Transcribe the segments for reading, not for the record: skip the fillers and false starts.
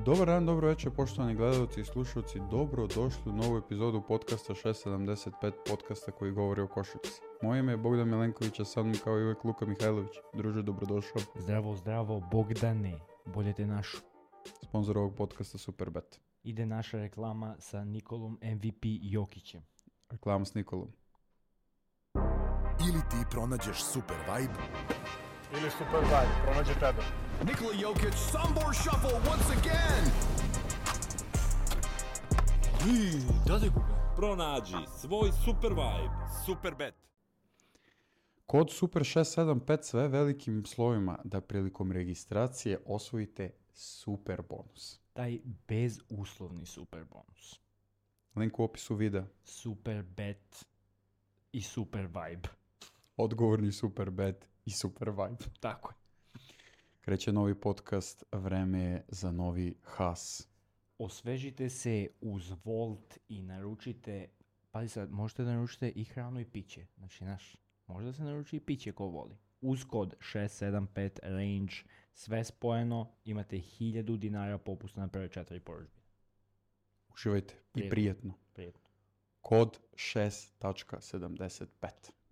Dobar dan, dobro večer, poštovani gledalci i slušalci. Dobro došli u novu epizodu podcasta 675, podcasta koji govori o košarci. Moje ime je Bogdan Milenković, a sa mnom kao i uvijek Luka Mihajlović. Druže, dobrodošao. Zdravo, Bogdane. Bolje te našu. Sponzor ovog podcasta Superbet. Ide naša reklama sa Nikolom MVP Jokićem. Reklama s Nikolom. Ili ti pronađeš super vibe, ili super vibe, pronađe tebe. Nikola Jokić, Sombor Shuffle once again! Pronađi svoj super vibe. Superbet. Kod Super 675 sve velikim slovima da prilikom registracije osvojite super bonus. Taj bezuslovni super bonus. Link u opisu videa. Super bet i super vibe. Odgovorni super bet i super vibe. Tako je. Kreće novi podcast, vreme je za novi has. Osvežite se uz Volt i naručite, pazi sad, možete da naručite i hranu i piće. Znači, možda se naruči i piće ko voli. Uz kod 675 range, sve spojeno, imate 1000 dinara popusta na prve 4 porudžbe. Uživajte i prijetno. Kod 6.75.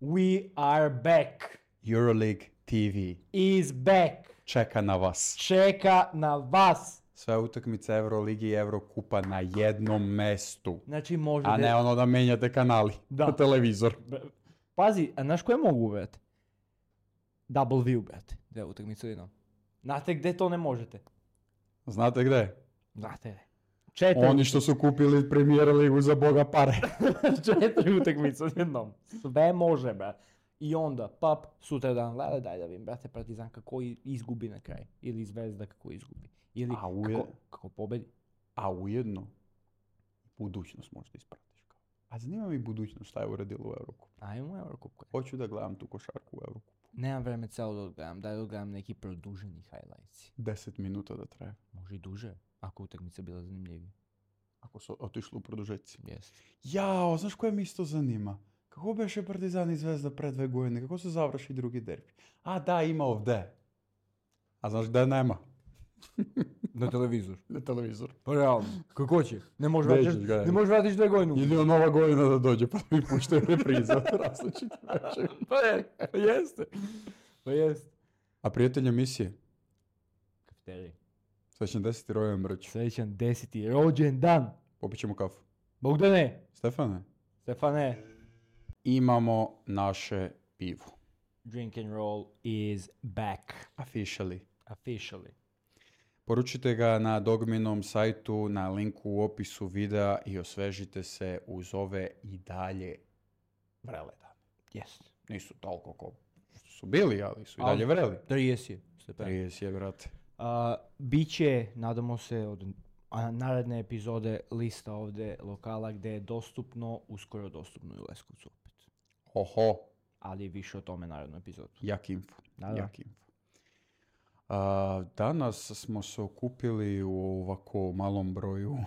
We are back. Euroleague TV Is back. čeka na vas. Čeka na vas. Sve utakmice Euroligi i Eurokupa na jednom mestu. Znači možete... A ne ono da menjate kanali Da. na televizor. Pazi, a znaš koje mogu brate? Double view, brate. Da, utakmicu jednom. Znate gde to ne možete? Znate gde? Znate gde? 4 Oni što su kupili Premier ligu za boga pare. 4 utakmice jednom. Sve može, brate. I onda, pap, sutra dan, gleda, daj da vidim, brate, Partizan kako izgubi na kraj. Ili Zvezda kako izgubi. Ili kako pobedi. A ujedno, budućnost možda ispratiš. A zanima mi budućnost šta je uradilo u Eurokupu. Ajmo Eurokupu. Hoću da gledam tu košarku u Eurokupu. Nemam vreme celo da odgledam, daj da odgledam neki produženi highlights. 10 minuta da traje. Može i duže, ako utakmica bila zanimljivija. Ako su otišli u produžeci. Jeste. Jao, znaš koje mi isto zanima? Kako beše Partizan i Zvezda pre 2 godine? Kako se završi drugi derbi? A da, ima ovde. A znaš gde nema? Na televizor. Na televizor. Pa realno, kako će? Ne možeš Nećeš ga, vratiš, ne možeš vratiš 2 godine. Jedino Nova godina da dođe pa mi puštaju reprize od različitih večera. Pa jeste. Pa jeste. A prijatelj emisije? Kafeterij. Srećan 10. rođendan mrć. Srećan 10. rođendan. Popit ćemo kafu. Bogdane. Stefane, imamo naše pivo. Drink and roll is back. Officially. Poručite ga na Dogminom sajtu, na linku u opisu videa i osvežite se uz ove i dalje vrele dane. Yes. Nisu toliko ko što su bili, ali su i dalje vreli. 30 je. 30 je, brate. Biće, nadamo se, od naredne epizode lista ovde lokala gde je dostupno, uskoro dostupno i u Leskovcu opet. Oho. Ali više o tome narednu epizodu. Jak info. Da. Danas smo se okupili u ovako malom broju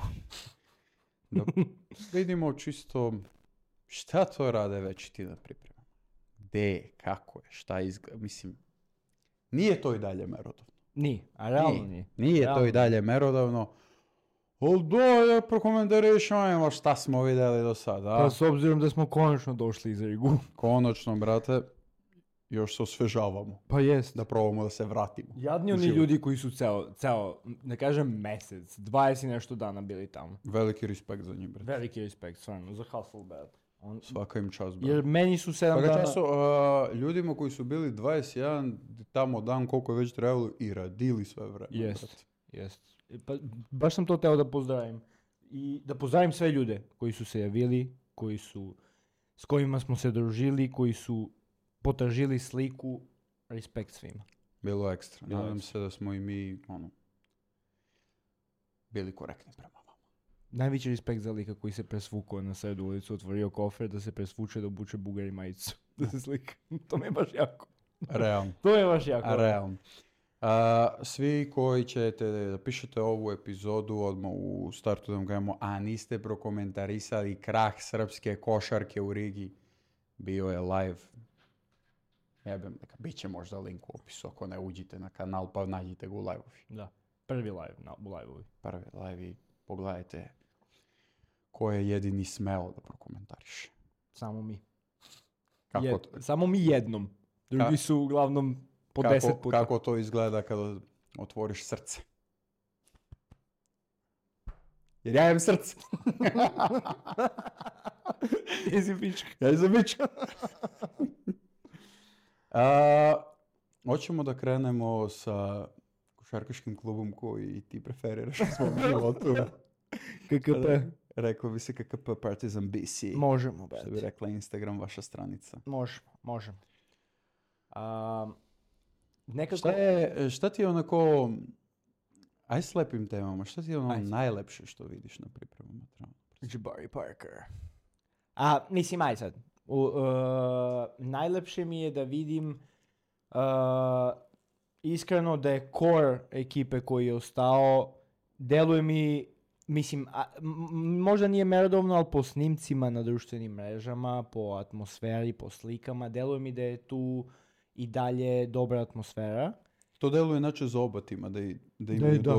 da vidimo čisto šta to rade već ti na pripremama. Gde, kako je, šta izgleda. Mislim, nije to i dalje merodavno. Nije, a realno nije. Nije realno. to i dalje merodavno. Ali da prokomentarišemo šta smo vidjeli do sada. Pa s obzirom da smo konačno došli iz Rigu. Konačno, brate, još se osvežavamo. Pa jest. Da probamo da se vratimo. Jadni oni ljudi koji su ceo, ne kažem mesec, 20 i nešto dana bili tamo. Veliki respekt za njih, brate. Veliki respekt, stvarno, za Hasselblad. Svaka im čast, brate. Jer meni su 7 dana... Času, ljudima koji su bili 21 tamo dan koliko je već trebalo i radili sve vreme. Jest. Pa, baš sam to teo da pozdravim. I da pozdravim sve ljude koji su se javili, s kojima smo se družili, koji su potražili sliku. Respekt svima. Bilo ekstra. Nadam se da smo i mi bili korektni prema vama. Najveći respekt za lika koji se presvukao na sredu ulicu, otvorio kofer da se presvuče, da obuče Bugari majicu. Da se slika. To mi je baš jako. Realno. To je baš jako. Realno. Svi koji ćete da pišete ovu epizodu odmah u startu da vam gledamo, a niste prokomentarisali krah srpske košarke u Rigi, bio je live. Bit će možda link u opisu, ako ne uđite na kanal pa nađite ga u live-ovi. Da. Prvi live, u live-ovi. Prvi live i pogledajte ko je jedini smeo da prokomentariše. Samo mi. Kako, Samo mi jednom. Drugi su uglavnom po 10 puta. Kako to izgleda kada otvoriš srce? Jer ja imam srce. Jesi pička. Ja sam pička. Hoćemo da krenemo sa košarkaškim klubom koji ti preferiraš u svom životu. KKP. Rekao bi se KKP Partizan BC. Možemo, Što bi brate. rekla Instagram, vaša stranica. Možemo. Nekako... Šta ti je onako... Aj s lepim temama. Šta ti je ono Ajde. najlepše što vidiš na pripremama? Jabari Parker. Mislim, aj sad. Najlepše mi je da vidim iskreno da je core ekipe koji je ostao, deluje mi, mislim, možda nije merodavno, ali po snimcima na društvenim mrežama, po atmosferi, po slikama, deluje mi da je tu i dalje dobra atmosfera. To deluje inače za oba tima,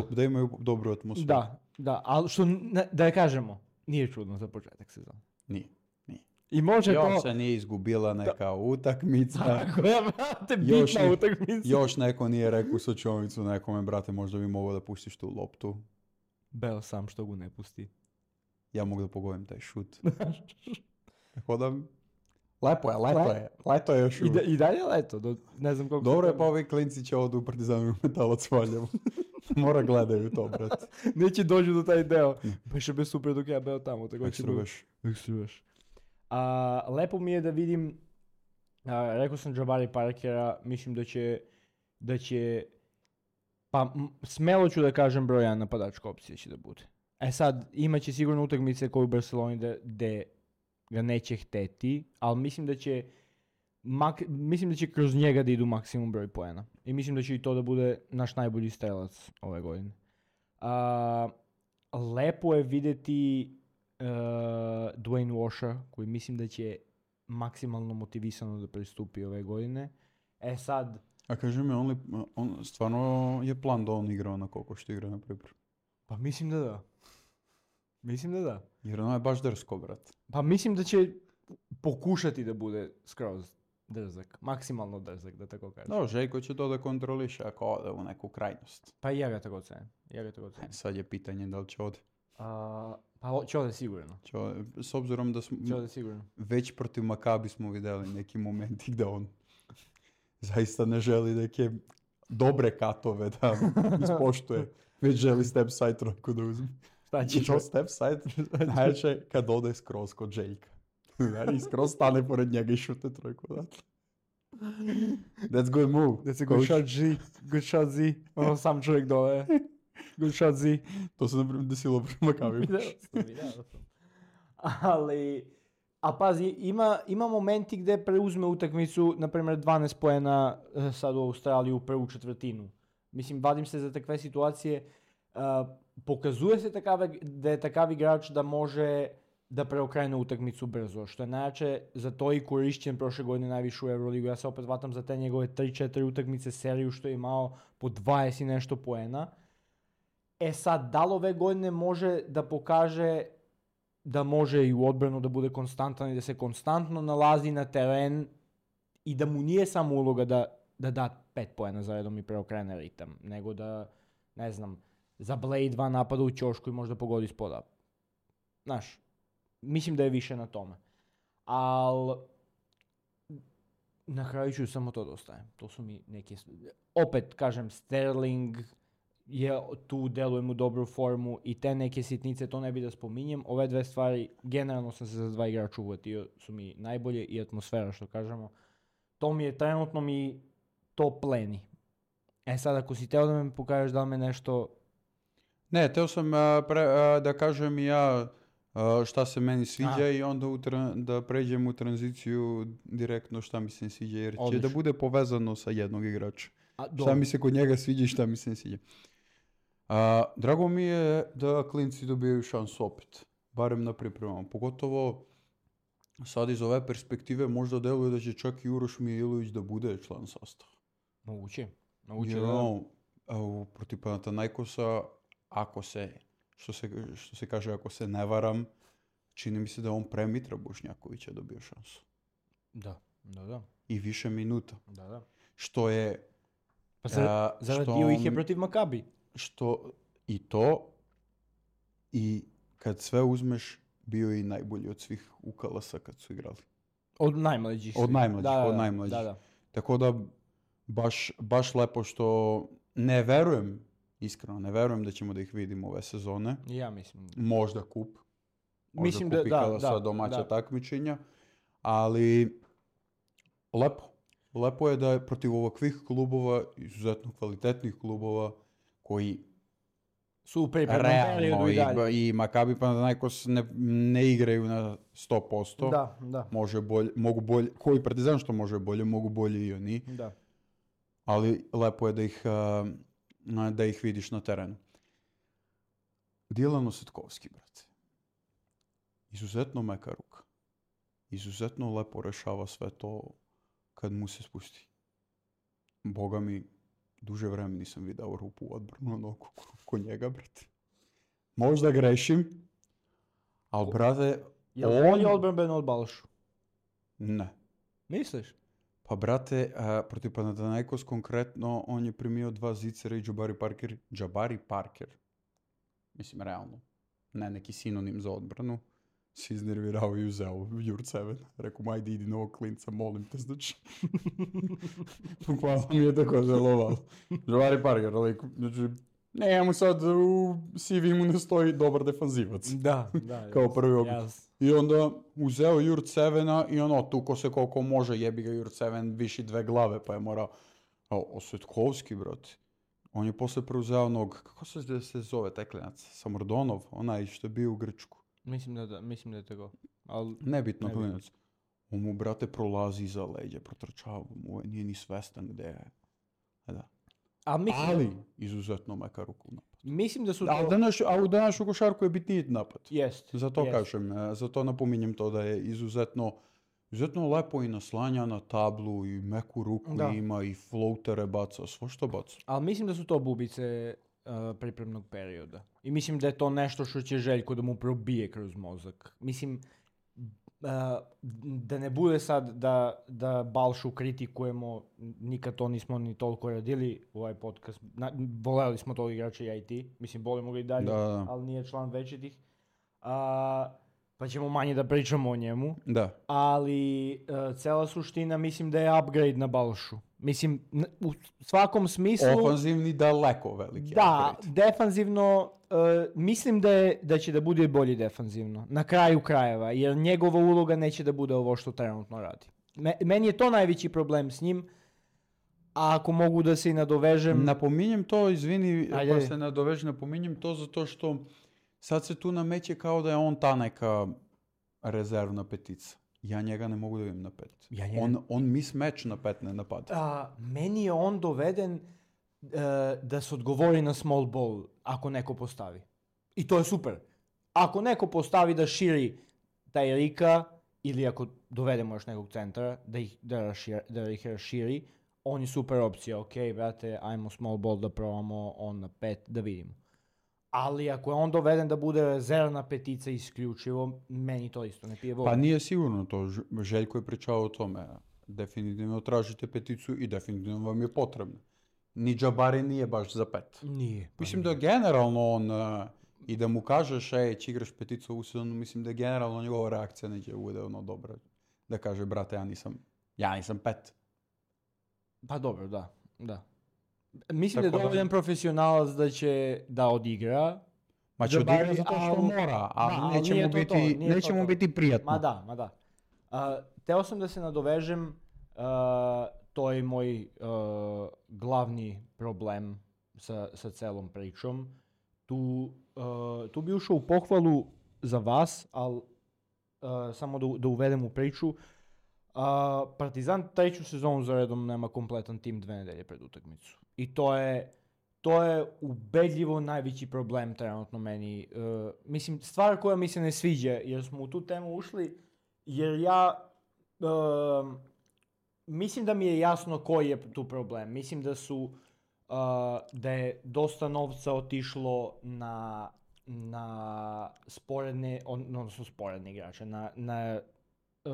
da imaju dobru atmosferu. Da, ali što, da je kažemo, nije čudno za početak sezona. Nije. I može Još to... se nije izgubila neka utakmica. Tako je, brate, Još bitna ni- utakmica. Još neko nije rekao sočovicu nekome, brate, možda bi mogao da pustiš tu loptu. Beo sam što ga ne pusti. Ja mogu da pogodim taj šut. Tako da... Leto je još uvijek. I dalje leto, ne znam koliko... Dobro je, pa ovi klinci će odu u Partizanu Metalac Valjevo. Mora gledaju to, brate. Neće dođu do taj deo. Pa še bi super dok ja beo tamo. Tako Ekstruješ. Lepo mi je da vidim, rekao sam Jabari Parkera, mislim da će pa smelo ću da kažem broj 1 napadačka opcija će da bude. Sad, imaće sigurno utakmice koje u Barceloni gde ga neće hteti, ali mislim da će kroz njega da idu maksimum broj poena. I mislim da će i to da bude naš najbolji strelac ove godine. Lepo je vidjeti Dwayne Washa, koji mislim da će maksimalno motivisano da pristupi ove godine. Sad... A kaži mi, on stvarno je plan da on igra onako kako što igra na pripremu? Pa mislim da da. Jer ono je baš drsko, brate. Pa mislim da će pokušati da bude skroz drzak. Maksimalno drzak, da tako kažem. Da, Željko će to da kontroliše ako ode u neku krajnost. Pa i ja ga tako cenim. Sad je pitanje da li će ode. Pa će ode sigurno. S obzirom da smo već protiv Makabi smo vidjeli neki momenti gdje on zaista ne želi neke dobre katove da ispoštuje. Već želi step side trojku da uzme. Šta će? I to step side najče kad ode skroz kod Željka. I skroz stane pored njega i šute trojku. That's good move. That's a good shot Z. Good shot Z. Ono sam čovjek dole. Good shot Z. To se naprimjer desilo prema Makabi. Vidio sam. A pazi, ima momenti gdje preuzme utakmicu, na primjer 12 poena sad u Australiju u prvu četvrtinu. Mislim, vadim se za takve situacije. Pokazuje se da je takav igrač da može da preokrene utakmicu brzo, što je najjače za to i korišćen prošle godine najviše u Euroligu. Ja se opet vatam za te njegove 3-4 utakmice seriju što je imao po 20 i nešto poena. Sad, da li ove godine može da pokaže da može i u odbranu da bude konstantan i da se konstantno nalazi na teren i da mu nije samo uloga da da 5 poena za redom i preokrene ritam, nego da, ne znam, za Blade 2 napada u ćošku i možda pogodi spoda. Znaš, mislim da je više na tome. Ali, na kraju ću samo to da ostavim. To su mi neke... Opet, kažem, Sterling je tu, deluje mu dobru formu i te neke sitnice, to ne bi da spominjem. Ove dve stvari, generalno sam se za dva igrača uvatio, su mi najbolje i atmosfera, što kažemo. To mi je, trenutno mi to pleni. Sad, ako si teo da me pokažeš da li me nešto... Ne, teo sam da kažem i ja šta se meni sviđa i onda da pređem u tranziciju direktno šta mi se ne sviđa, jer će da bude povezano sa jednog igrača. Šta mi se kod njega sviđa i šta mi se ne sviđa. Drago mi je da klinci dobijaju šansu opet, barem na pripremama. Pogotovo sad iz ove perspektive možda deluje da će čak i Uroš Mijailović da bude član sastava. Moguće. protiv Panathinaikosa, što se kaže, ako se ne varam, čini mi se da on pre Mitra Bošnjakovića dobio šansu. Da. I više minuta. Da. Što je... Pa zaradio ih je protiv Makabi. Što i to, i kad sve uzmeš, bio je i najbolji od svih u Kalasa kad su igrali. Od najmlađih. Od najmlađih. Da. Tako da, baš lepo što iskreno ne verujem da ćemo da ih vidimo ove sezone. Ja mislim. Možda kup. Mislim kup i Kalasa domaća takmičenja. Ali, lepo je da je protiv ovakvih klubova, izuzetno kvalitetnih klubova, koji su u pripremnom periodu i dalje. I Makabi Panathinaikos ne igraju na 100%. Da. Mogu bolje, koji Partizan što može bolje, mogu bolje i oni. Da. Ali lepo je da ih vidiš na terenu. Dilan Osetkovski, brate. Izuzetno meka ruka. Izuzetno lepo rešava sve to kad mu se spusti. Boga mi, duže vreme nisam vidio rupu u odbranu ko njega, brate. Možda grešim, ali, brate... On je odbranben od Balšu? Ne. Misliš? Pa, brate, protiv Panathinaikos konkretno, on je primio 2 zicera i Jabari Parker. Mislim, realno. Ne neki sinonim za odbranu. Si iznervirao i uzeo Jurceven. Rekao mu, ajde, idi na ovog klinca, molim te, znači. Hvala mi je tako želovalo. Jabari Parker, znači, ne, mu sad u CV-mu ne stoji dobar defanzivac. Da. Kao prvi ogledaj. I onda uzeo Jurcevena i tuko se koliko može, jebi ga Jurceven, viši 2 glave, pa je morao... Osetkovski, brate. On je posle preuzeo onog, kako se zove taj klinac? Samardonov, onaj što je bio u Grčku. Mislim da je tako. Nebitno klinac. On mu, brate, prolazi iza leđa, protrčava mu, nije ni svestan gde je. Da. Ali, izuzetno meka ruku napad. Mislim da su to... A u današnju košarku je bitniji napad. Jest. Zato napominjem to da je izuzetno lepo i naslanja na tablu i meku ruku ima i floatere baca, sve što baca. Ali mislim da su to bubice pripremnog perioda. I mislim da je to nešto što će Željko da mu probije kroz mozak. Mislim, da ne bude sad da Balšu kritikujemo, nikad to nismo ni toliko radili u ovaj podcast. Voleli smo to igrača i IT. Mislim, volimo ga i dalje, ali nije član večitih. Pa ćemo manje da pričamo o njemu. Da. Ali cela suština mislim da je upgrade na Balšu. Mislim, u svakom smislu... Ofanzivni daleko veliki da, upgrade. Defanzivno, mislim da će da bude bolji defanzivno. Na kraju krajeva, jer njegova uloga neće da bude ovo što trenutno radi. Meni je to najveći problem s njim. A ako mogu da se i nadovežem... Napominjem to, izvini, pa se nadovežem, napominjem to zato što sad se tu nameće kao da je on ta neka rezervna petica. Ja njega ne mogu da vidim na 5. On mismatch na 5 ne napada. Meni je on doveden da se odgovori na small ball ako neko postavi. I to je super. Ako neko postavi da širi taj Rika, ili ako dovedemo još nekog centra, da ih raširi, on je super opcija. Ok, brate, ajmo small ball da probamo on na 5, da vidimo. Ali ako je on doveden da bude rezervna petica isključivo, meni to isto ne pije vodu. Pa nije sigurno to. Željko je pričao o tome. Definitivno tražite peticu i definitivno vam je potrebno. Ni Jabari nije baš za 5. Nije. Mislim da je generalno on, i da mu kažeš, će igraš peticu u sezonu, mislim da je generalno njegova reakcija neće bude ono dobra. Da kaže, brate, ja nisam 5. Pa dobro, da. Mislim da je dovoljan profesionalac da će da odigra. Ma će odigra zato što mora, ali neće mu biti prijatno. Ma da. Teo sam da se nadovežem, to je moj glavni problem sa celom pričom. Tu bi ušao u pohvalu za vas, ali samo da uvedem u priču. Partizan 3. sezonu za redom nema kompletan tim 2 nedelje pred utakmicu. I to je ubedljivo najveći problem trenutno meni. Mislim, stvar koja mi se ne sviđa, jer smo u tu temu ušli, jer ja mislim da mi je jasno koji je tu problem. Mislim da su da je dosta novca otišlo na sporedne, odnosno sporedne igrače, na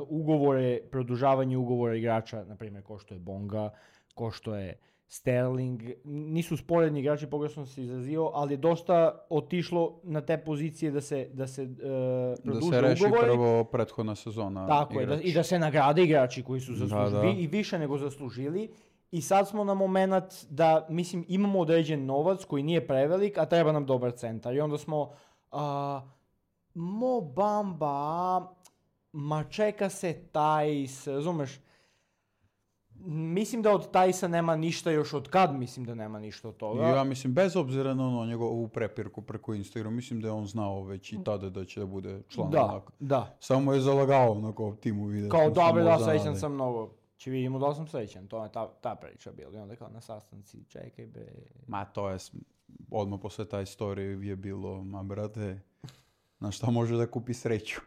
ugovore, produžavanje ugovora igrača, na primjer ko što je Bonga, ko što je Sterling, nisu sporedni igrači, pogrešno se izrazio, ali je dosta otišlo na te pozicije da se produže Da se reši ugovori. prvo prethodna sezona. Tako je, i da se nagrade igrači koji su zaslužili, Da. i više nego zaslužili. I sad smo na moment da, mislim, imamo određen novac koji nije prevelik, a treba nam dobar centar. I onda smo, Mo Bamba, ma čeka se Tajs, razumeš? Mislim da od Tajsa nema ništa još od kad, mislim da nema ništa od toga. Ja mislim, bez obzira na njegovu prepirku preko Instagrama, mislim da je on znao već i tada da će da bude član onako. Da. Samo je zalagao onako timu vidjeti. Kao dobro, da, srećan sam mnogo. Či vidimo da sam srećan, to je ta priča bila. I onda kao na sastanci, čekaj bre. Ma to je, odmah posle taj story je bilo, ma brate, na šta može da kupi sreću?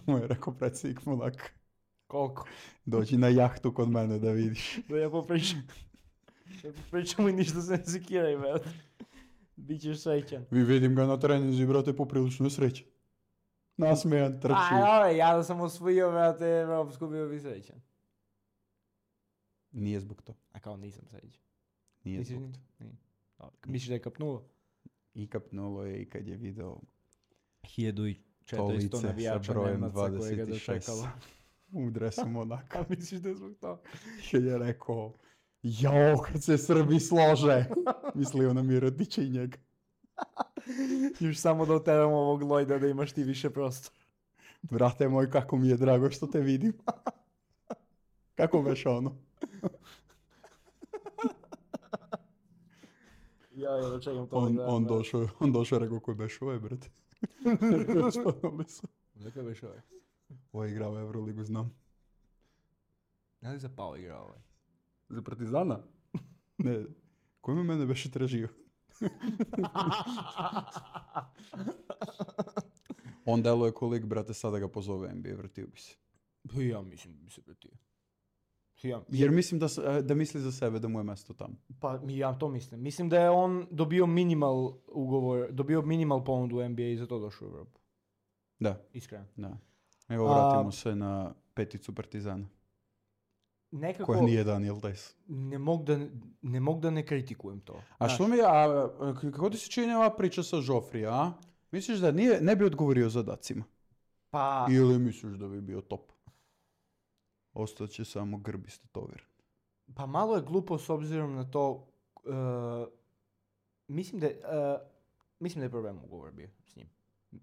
Mu je rekao predsjednik Monaka. Koliko? Dođi na jahtu kod mene da vidiš. Da ja popričam. Ja popričam i ništa se ne sekiraj, brate. Bićeš srećan. Vi vidim ga na treninzi, brate, poprilično je srećan. Nasmejan, trči. Ja da sam osvojio, brate, Evropsku, bio bi srećan. Nije zbog to. A kao nisam srećan. Nije Misliš zbog ni? to. Nije. Misliš da je kapnulo? I kapnulo je i kad je video 1400 lice sa navijača brojem Nemaca koje ga 26 dočekalo. u dresu Monaka. A misliš da je zbog toga? Kad je rekao, jao, kad se Srbi slože. Mislio na Mirotića i njega. Još samo da oteramo ovog Lojda da imaš ti više prostora. Brate moj, kako mi je drago što te vidim. Kako veš ono? Ja čekam to. On došao, rekao koji beš ovaj, brate. Dakle već ovaj. Ovo je igrao Euroligu, znam. Ja li za Pao igrao ovaj? Za Partizana? Ne. Ko mi mene beše tražio? On deluje kolik, brate, sada ga pozove NBA, vratio bi se. Ja mislim da bi se vratio. Jer mislim da misli za sebe da mu je mesto tamo. Pa ja to mislim. Mislim da je on dobio minimal ponudu u NBA i za to došao u Evropu. Da, Iskreno. da. Evo, vratimo se na peticu Partizana. Nekako Koja nije Daniel Tajs. ne mogu da ne kritikujem to. A što kako ti se čini ova priča sa Joffrija, a? Misliš da ne bi odgovorio zadacima? Pa, Ili misliš da bi bio top? Ostaće samo grbiste tover. pa malo je glupo s obzirom na to, mislim da je problem ugovor bio s njim.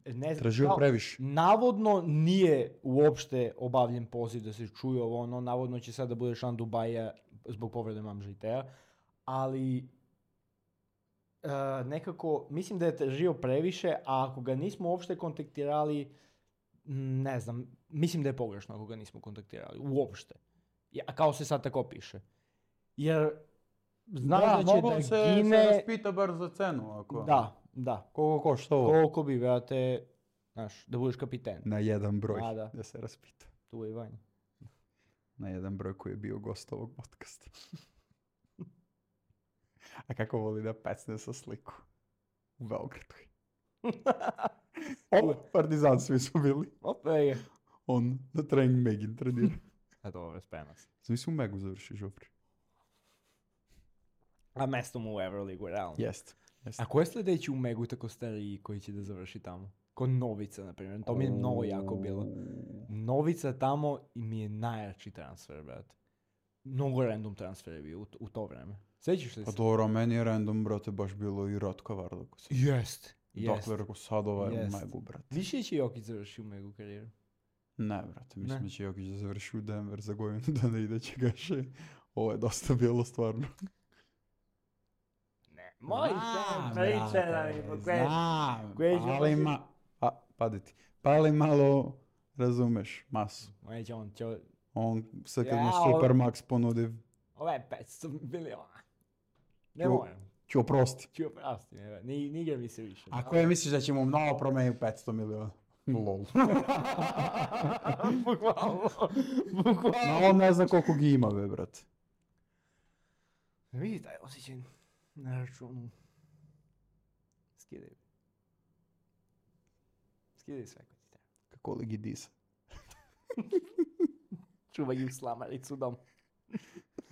Ne znam, Tražio previše. navodno nije uopšte obavljen poziv da se čuje ovo ono, navodno će sad da bude član Dubaja zbog povrede Mamže i Teja, ali nekako mislim da je tražio previše, a ako ga nismo uopšte kontaktirali, ne znam, mislim da je pogrešno ako ga nismo kontaktirali, uopšte. A kao se sad tako piše. Jer znaš da će da se gine... raspita bar za cenu. Ako... Da. Koliko košta ovo? Koliko bi, brate, znaš, da budeš kapiten. Na jedan broj, Da. da se raspita. Tu je i Vanja. Na jedan broj koji je bio gost ovog podcasta. A kako voli da pecne sa sliku? U Beogradu. Partizan svi su bili. Opet. On na trening Megin trenira. A dobro, sprema se. Svi su u Megu završi Žofri. A mesto mu u Euroligu, realno. Jest. A ko je sljedeći u Megu tako stariji koji će da završi tamo? Ko Novica, na primjer. To mi je mnogo jako bilo. Novica tamo mi je najjači transfer, brate. Mnogo random transfer je bio u to vreme. Sjećaš li Pa se? dobro, meni je random, brate, baš bilo i Ratko Varlako. Jest. Dakle, rekao, sad ovaj u Jest. Megu, brate. Više će Jokić završi u Megu karijeru. Ne, brate, mislim Ne. da će Jokić da završi u Denver za godinu, da ne ide će gaše. Ovo je dosta bilo stvarno. Moj priče da mi pokveš. Padi ti. Pali malo, razumeš, masu. Neće on, On sad kad mu Ja, Supermax ponudi, ovo je 500 miliona. Ne Ću- moram. ću oprosti. Ću oprosti, ne igra mi se više. Ako je misliš da će mu mnogo promeniti 500 miliona? Lol. Bukvalno. No, on ne zna koliko ga ima, be, brate. Vidi taj osjećaj. Na računu. Skidaj. Skidaj sve ako ti treba. Kako li gi disa? Čuvaj ju slamaricu dom.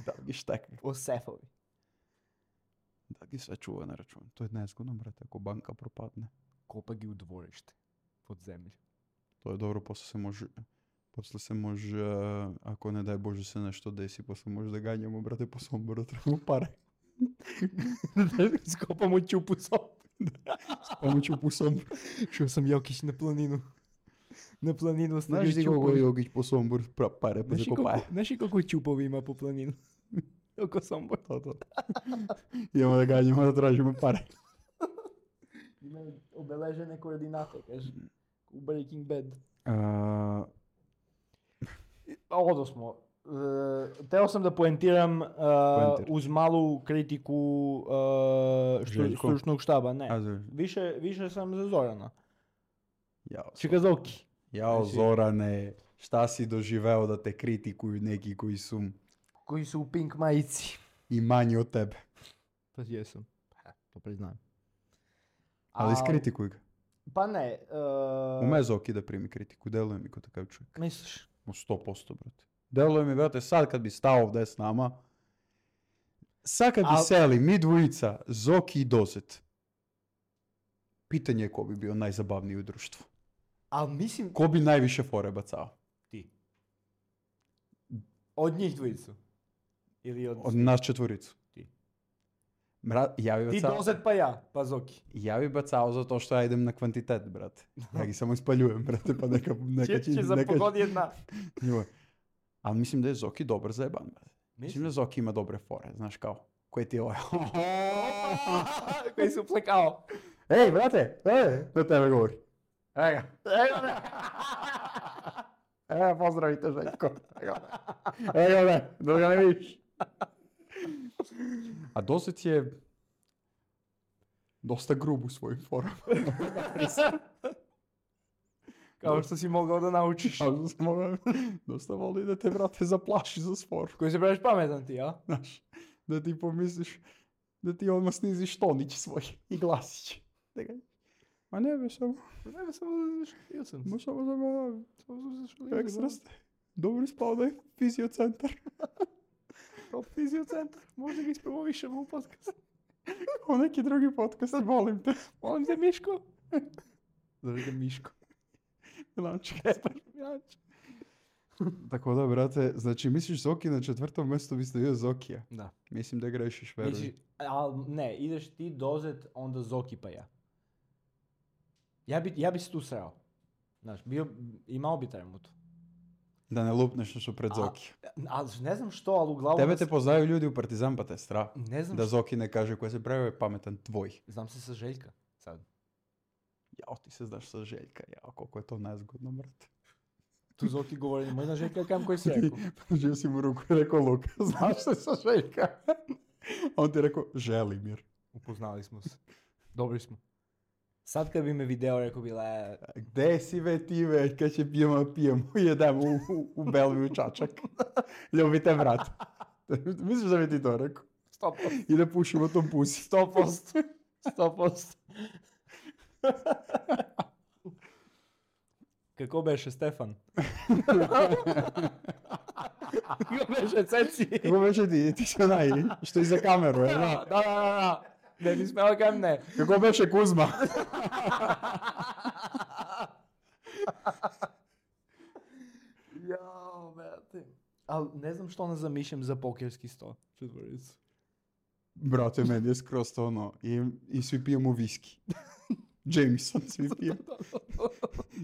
Da li gi štekne? O sefovi. Da gi sve čuva na račun. To je nezgodno, brate, ako banka propadne. Kopa gi u dvorište. Pod zemlju. To je dobro, posle se može, ako ne daj Bože se nešto desi, posle može da ganjamo, brate, po Somboru, trebamo pare. Skopamo čupu Pomoću po Somboru. Šao sam Jokić na planinu. Na planinu Znaš ti koliko je Jokić po Somboru pare pa zakopaje? Znaš i koliko čupovi ima po planinu? Oko Sombor. To. Idemo da ganjamo, da tražimo pare. Imaju obeležene koordinate, kaže. U Breaking Bad. Odo smo. Teo sam da poentiram uz malu kritiku Željko? stručnog štaba. Ne. Više sam za Zorana. Čikazoki. Jao Zorane, šta si doživeo da te kritikuju neki Koji su u pink majici. i manji od tebe? Pa jesam. To priznajem. Ali iskritikuj ga. Pa ne. Ume Zoki da primi kritiku, deluje mi ko takav čovjek. Misliš? 100%, brate. Deluje mi, brate, sad kad bi stao ovdje s nama, sad kad bi seli mi dvojica, Zoki i Dozet, pitanje je ko bi bio najzabavniji u društvu. Ali mislim... Ko bi najviše fore bacao? Ti. Od njih dvojicu? Ili od nas četvoricu. Ti. Ja bi bacao... Ti Dozet pa ja, pa Zoki. Ja bi bacao zato što ja idem na kvantitet, brate. Ja gi samo ispaljujem, brate, pa neka će za pogod jedna. Ali mislim da je Zoki dobar zajeban, brate. Mislim da Zoki ima dobre fore, znaš kao. Koji ti je ovaj? Koji su plekao. Ej, brate, na tebe govori. Evo ga. Pozdravite, Željko. Evo ga, da ga ne vidiš. A Dozet je dosta grub u svojim formama. Kao što si mogao da naučiš. Dosta voli da te, brate, zaplaši za spor. Koji se praviš pametan ti, a? Znaš, da ti pomisliš da ti odmah sniziš tonić svoj i glasić. Ma ne be samo. Ne be samo zašalio sam. Ma samo zašalio. Samo zašalio. Ekstra ste. Dobro ispao da je fiziocentar. Top fiziocentar. Možda ga ispromovišemo u podcast. O neki drugi podcast, volim te. Volim te, Miško. Zove ga Miško. Milanček. Tako da, brate, znači misliš Zoki na 4. mjestu bi stavio Zokija? Da. Mislim da grešiš, veruj. Ali ne, ideš ti Dozet, onda Zoki pa ja. Ja bi se tu srao. Znaš, imao bi tremutu. Da ne lupneš nešto pred Zoki. Ali ne znam što, ali uglavnom... Tebe te poznaju ljudi u Partizan pa te strah. Ne znam da Zoki ne kaže koja se pravi pametan tvoj. Znam se sa Željka sad. Jao, ti se znaš sa Željka, jao, koliko je to nezgodno, brate. Tu Zoki govori, nemoj na Željka, kam koji si rekao. Živ si mu ruku i rekao, Luka, znaš se sa Željka? On ti je rekao, Želimir. Upoznali smo se. Dobri smo. Sad kad bi me video, rekao bi, gde si ve ti ve, kad će pijemo, jedemo u Belviju čačak. Ljubite brat. Misliš da bi ti to rekao? 100%. I da pušimo tom pusi. 100%. 100%. Kako beše Stefan? Kako beše Ceci? Kako beše ti si onaj, što iza kameru, je? Da. Ne bi smela kam ne. Kako beše Kuzma? Jao, brate. Ali ne znam što ne zamišljam za pokerski sto. Četvoricu. Brate, meni je skroz to ono. I svi pijemo viski. Jameson svi pijemo.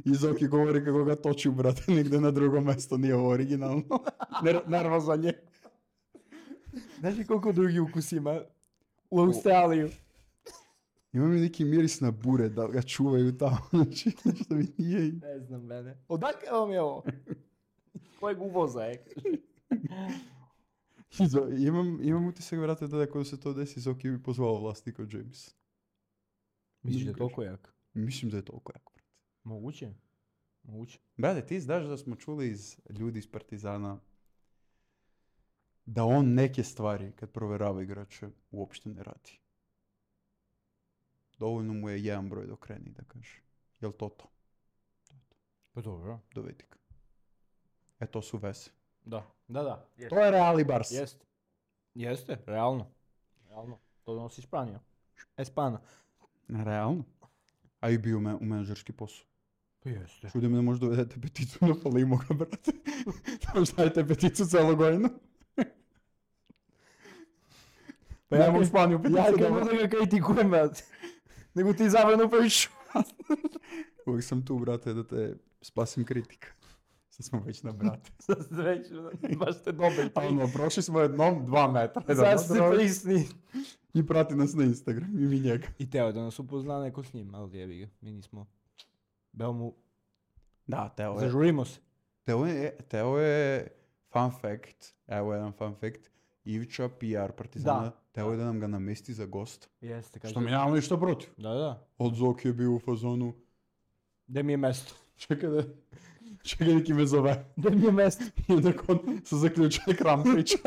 I Zoki govori kako ga toči, brate, negdje na drugo mjesto. Nije ovo originalno. Nervozan je. Znaš li koliko drugi ukus ima? U Australiju. Ima mi neki miris na bure, da ga čuvaju tamo, znači nešto mi nije. Ne znam, mene. Odakle vam je ovo? Kojeg uvoza je? Imam utisak, brate, da ako se to desi, Zoki bi pozvao vlasnika James. Misliš da je toliko jak? Mislim da je toliko jak, brate. Moguće. Brate, ti znaš da smo čuli iz ljudi iz Partizana da on neke stvari, kad proverava igrače, uopšte ne radi. Dovoljno mu je jedan broj dok kreni, da kaže. Jel to? Pa dobro. Dovedi ga. To su veze. Da. To je Real i Barca. Jeste, realno. To donosi Španija. Espana. Realno. A i bio u menadžerski posao. Pa jeste. Čudi me da možda dovedete peticu na Falimo ga, brate. Da stavite peticu celo godinu. Pa ja u Španiju peticu ja da da ga kritikujem, brate. Nego ti zavrano priču. Uvijek sam tu, brate, da te spasim kritika. Sad smo već na brate. Sad ste već, baš ste dobili. Prošli smo jednom 2 metra. Sad ste prisni. I prati nas na Instagram, i mi njega. I teo da nas upozna neko s njim, ali jebi ga. Mi nismo... Beo mu... Da, Teo je... Zažurimo se. Teo je fun fact. Evo jedan fun fact. Ivića, PR Partizana. Da. Teo je da nam ga namesti za gosta. Jeste, kaže. Što mi nemamo ništa protiv. Da. Od Zoki je bio u fazonu. Gde mi je mesto? Čekaj neki me zove. Gde mi je mesto? I onda on se zaključio ekran priča.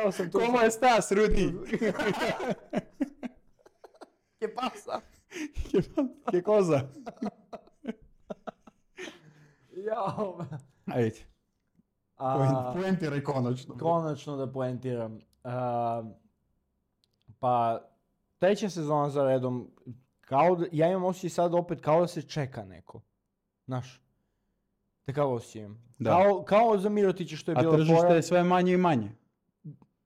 Evo sam tu. Komo je stas, Rudi? Che pasa? Che cosa? Jao. Ajde. Poentiraj konačno. Konačno da poentiram. Pa, treća sezona za redom, ja imam osjećaj sad opet kao da se čeka neko. Znaš, takav osjećam. Kao za Mirotića što je bilo... A tržište je sve manje i manje.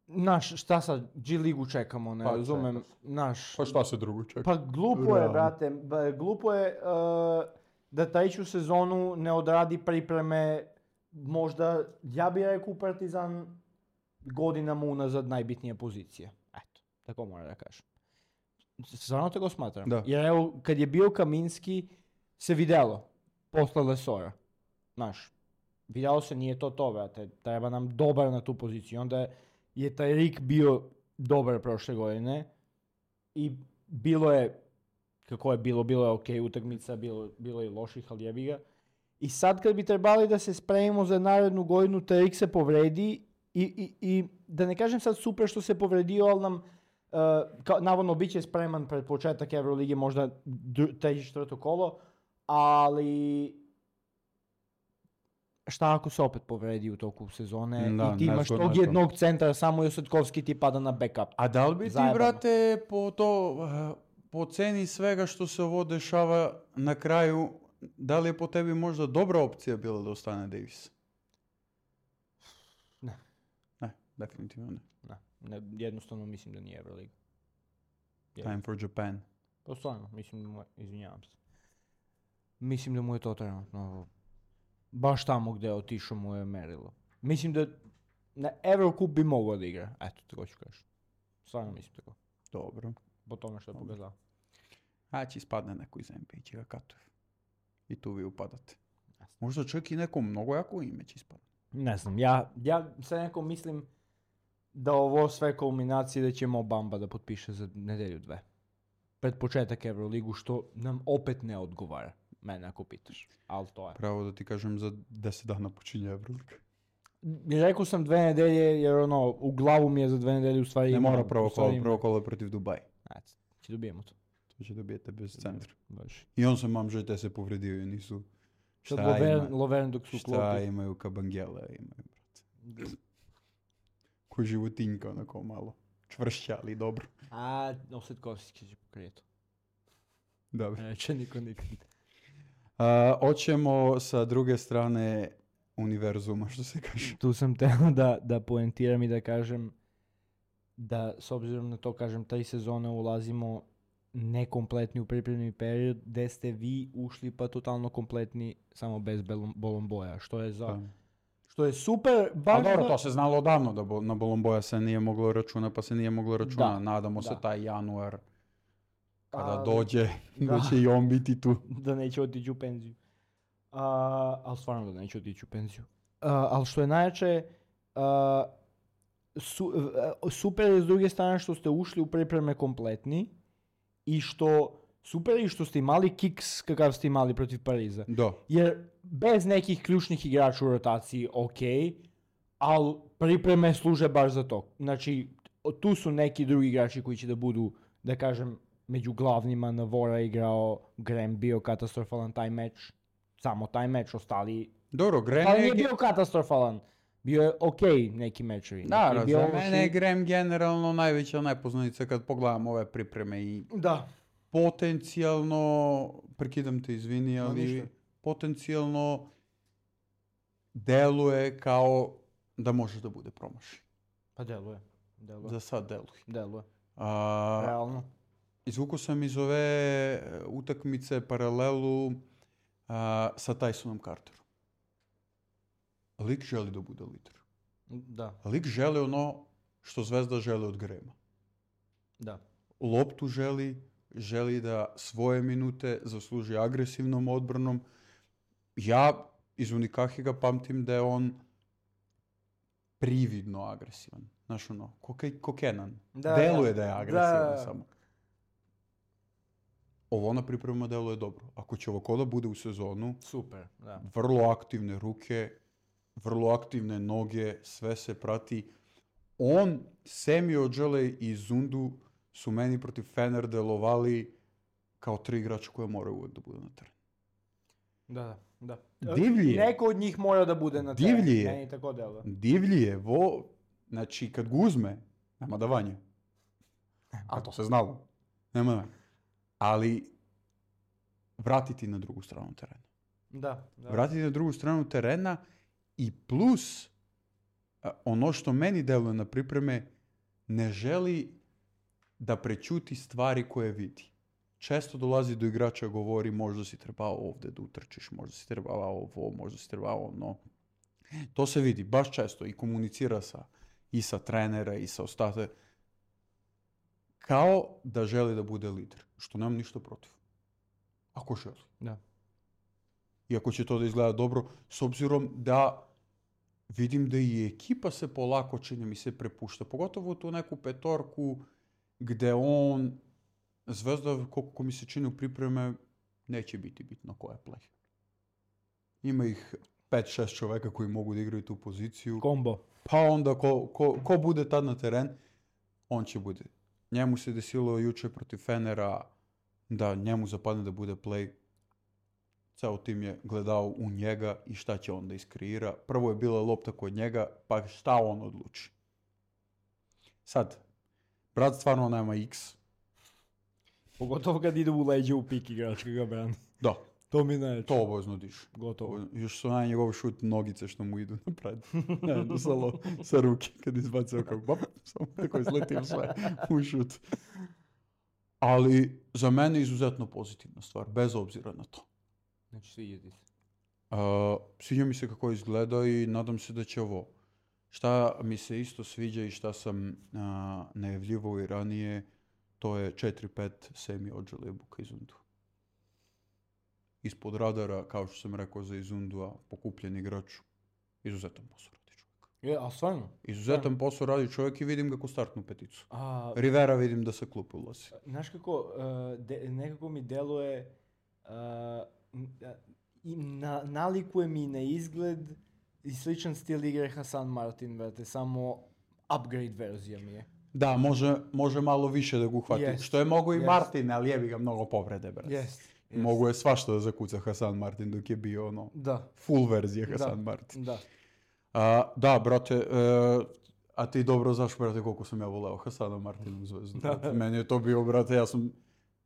Znaš, šta sad, G-ligu čekamo, ne razumem, znaš... Pa šta se drugo čeka? Pa glupo je, brate, glupo je da treću sezonu ne odradi pripreme, možda, ja bih rekao Partizan godinama unazad najbitnija pozicija. Eto, tako moram da kažem. Stvarno tako smatram. Da. Jer evo, kad je bio Kaminski, se vidjelo, posle Lesora. Znaš, vidjelo se, nije to, brate, treba nam dobar na tu poziciju. Onda je taj Rik bio dobar prošle godine i bilo je, kako je bilo je okej utakmica, bilo je i loših, ali jebi ga. I sad kad bi trebali da se spremimo za narednu godinu, taj Rik se povredi i da ne kažem sad super što se povredio, ali nam navodno bit će spreman pred početak Evrolige, možda treće, četvrto kolo, ali šta ako se opet povredi u toku sezone i ti imaš tog jednog centra, samo Josetkovski ti pada na backup. A da li bi ti, brate, po ceni svega što se ovo dešava na kraju, da li je po tebi možda dobra opcija bila da ostane Davis? Ne. Ne, definitivno ne. Jednostavno mislim da nije Euroliga. Time for Japan. Pa stvarno, mislim da mu je, izvinjavam se. Mislim da mu je to trenutno baš tamo gdje je otišao mu je merilo. Mislim da na Eurocup bi mogao da igra. Eto, tako ću kažem. Stvarno mislim tako. Dobro. Po tome što je pokazao. A će ispadne neko iz NBA će ga katuje. I tu vi upadate. Možda čak i neko mnogo jako ime će ispadne. Ne znam, ja sad neko mislim da ovo sve kulminacije da će Mo Bamba da potpiše za nedelju 2. Pred početak Euroligu, što nam opet ne odgovara. Mene ako pitaš, ali to je. Pravo da ti kažem, za 10 dana počinje Euroliga. Rekao sam 2 nedelje, jer u glavu mi je za 2 nedelje u stvari... Ne mora prvo kolo protiv Dubaja. Ajde, će dobijemo to. To će dobijete bez centra. Baš. I on sam mam žete se povredio i nisu... Loveren dok su klopi. Šta imaju Kabangela, imaju, brate. Ko životinjka, onako malo čvršća, ali dobro. A, Osetkovski će pokrijetu. Dobro. Neće niko nikad. Hoćemo sa druge strane univerzuma, što se kaže. Tu sam teo da poentiram i da kažem da, s obzirom na to, kažem, 3 sezone ulazimo nekompletni u pripremni period, gde ste vi ušli pa totalno kompletni, samo bez Bolomboja, što je super. A dobro, to se znalo odavno da na Bolomboja se nije moglo računa, pa se nije moglo računa. Nadamo se taj januar kada dođe, da će i on biti tu. Da neće otići u penziju. Ali stvarno da neće otići u penziju. Ali što je najjače, super je s druge strane što ste ušli u pripreme kompletni i što ste imali kiks kakav ste imali protiv Pariza. Da. Jer bez nekih ključnih igrača u rotaciji, ali pripreme služe baš za to. Znači, tu su neki drugi igrači koji će da budu da kažem, među glavnima Navora igrao, Graham bio katastrofalan taj meč, samo taj meč, ostali... Dobro, Graham Ali je... nije bio katastrofalan, bio je okej neki mečevi. Da, neki je bio za mene je loši. Graham generalno najveća nepoznanica kad pogledam ove pripreme i Da. potencijalno, prekidam te, izvini, ali ništa. potencijalno deluje kao da može da bude promašaj. Pa deluje. Za sad deluje. Deluje. A, Realno. izvukao sam iz ove utakmice paralelu sa Tysonom Carterom. Lik želi da bude lider. Da. Lik želi ono što Zvezda želi od Grahama. Da. Loptu želi da svoje minute zasluži agresivnom odbranom. Ja iz Unikahiga pamtim da je on prividno agresivan. Znaš ono, ko Kenan. Da, Deluje da. da je agresivan Da. samo. Ovo na pripremama deluje dobro. Ako će ovo koda bude u sezonu, Super, da. vrlo aktivne ruke, vrlo aktivne noge, sve se prati. On, Semi Ojeleye i Zundu su meni protiv Fener delovali kao 3 igrača koje moraju uvijek da budu na terenu. Da. Divlji je. Neko od njih mora da bude na terenu. Divlji je. Meni tako deluje. Divlji je, znači kad ga uzme, nema davanja. A to se znalo. Nema davanja. Ali vratiti na drugu stranu terena. Da. Vratiti na drugu stranu terena i plus ono što meni deluje na pripreme, ne želi da prećuti stvari koje vidi. Često dolazi do igrača, govori možda si trebao ovdje da utrčiš, možda si trebao ovo, možda si trebao ono. To se vidi baš često i komunicira i sa trenera i sa ostate. Kao da želi da bude lider, što nemam ništa protiv. Ako želi. Da. I ako će to da izgleda dobro, s obzirom da vidim da i ekipa se polako, čini mi se, prepušta. Pogotovo tu neku petorku gde on, Zvezda, koliko mi se čini u pripreme, neće biti bitno ko je play. Ima ih 5-6 čoveka koji mogu da igraju tu poziciju. Kombo. Pa onda ko bude tad na teren, on će bude. Njemu se desilo juče protiv Fenera da njemu zapadne da bude play. Ceo tim je gledao u njega i šta će on da iskreira. Prvo je bila lopta kod njega, pa šta on odluči. Sad, brat stvarno nema X. Pogotovo kad ide u leđe u pik igrač kad ga brani. Da, To mi ne. to obavezno diš. Gotovo. Još su njegov šut nogice što mu idu napred. Ne, sa ruke kad izbacao kao bop, samo tako izletio sve u šut. Ali za mene izuzetno pozitivna stvar, bez obzira na to. Znači svidjeti se. Sviđa mi se kako izgleda i nadam se da će ovo. Šta mi se isto sviđa i šta sam najavljivao i ranije, to je 4-5 Semi Ojeleye Buka Izundu. Ispod radara, kao što sam rekao za Izundua, pokupljen igrač. Izuzetan posao radi čovjek. A stvarno? Izuzetan posao radi čovjek i vidim ga ko startnu peticu. A, Rivera vidim da se klupe ulazi. znaš kako, nekako mi deluje, nalikuje mi na izgled i sličan stil igre Hasan Martin, brate, samo upgrade verzija mi je. Da, može malo više da ga uhvati. Jest, Što je mogo i jest. Martin, ali jebi ga mnogo povrede, brate. Jest. Mogu je svašta da zakuca Hasan Martin dok je bio ono Da. full verzija Hasan Da. Martin. Da. Da, brate, a ti dobro znaš, brate, koliko sam ja voleo Hasana Martina u Zvezdu. Brate. Meni je to bio, brate,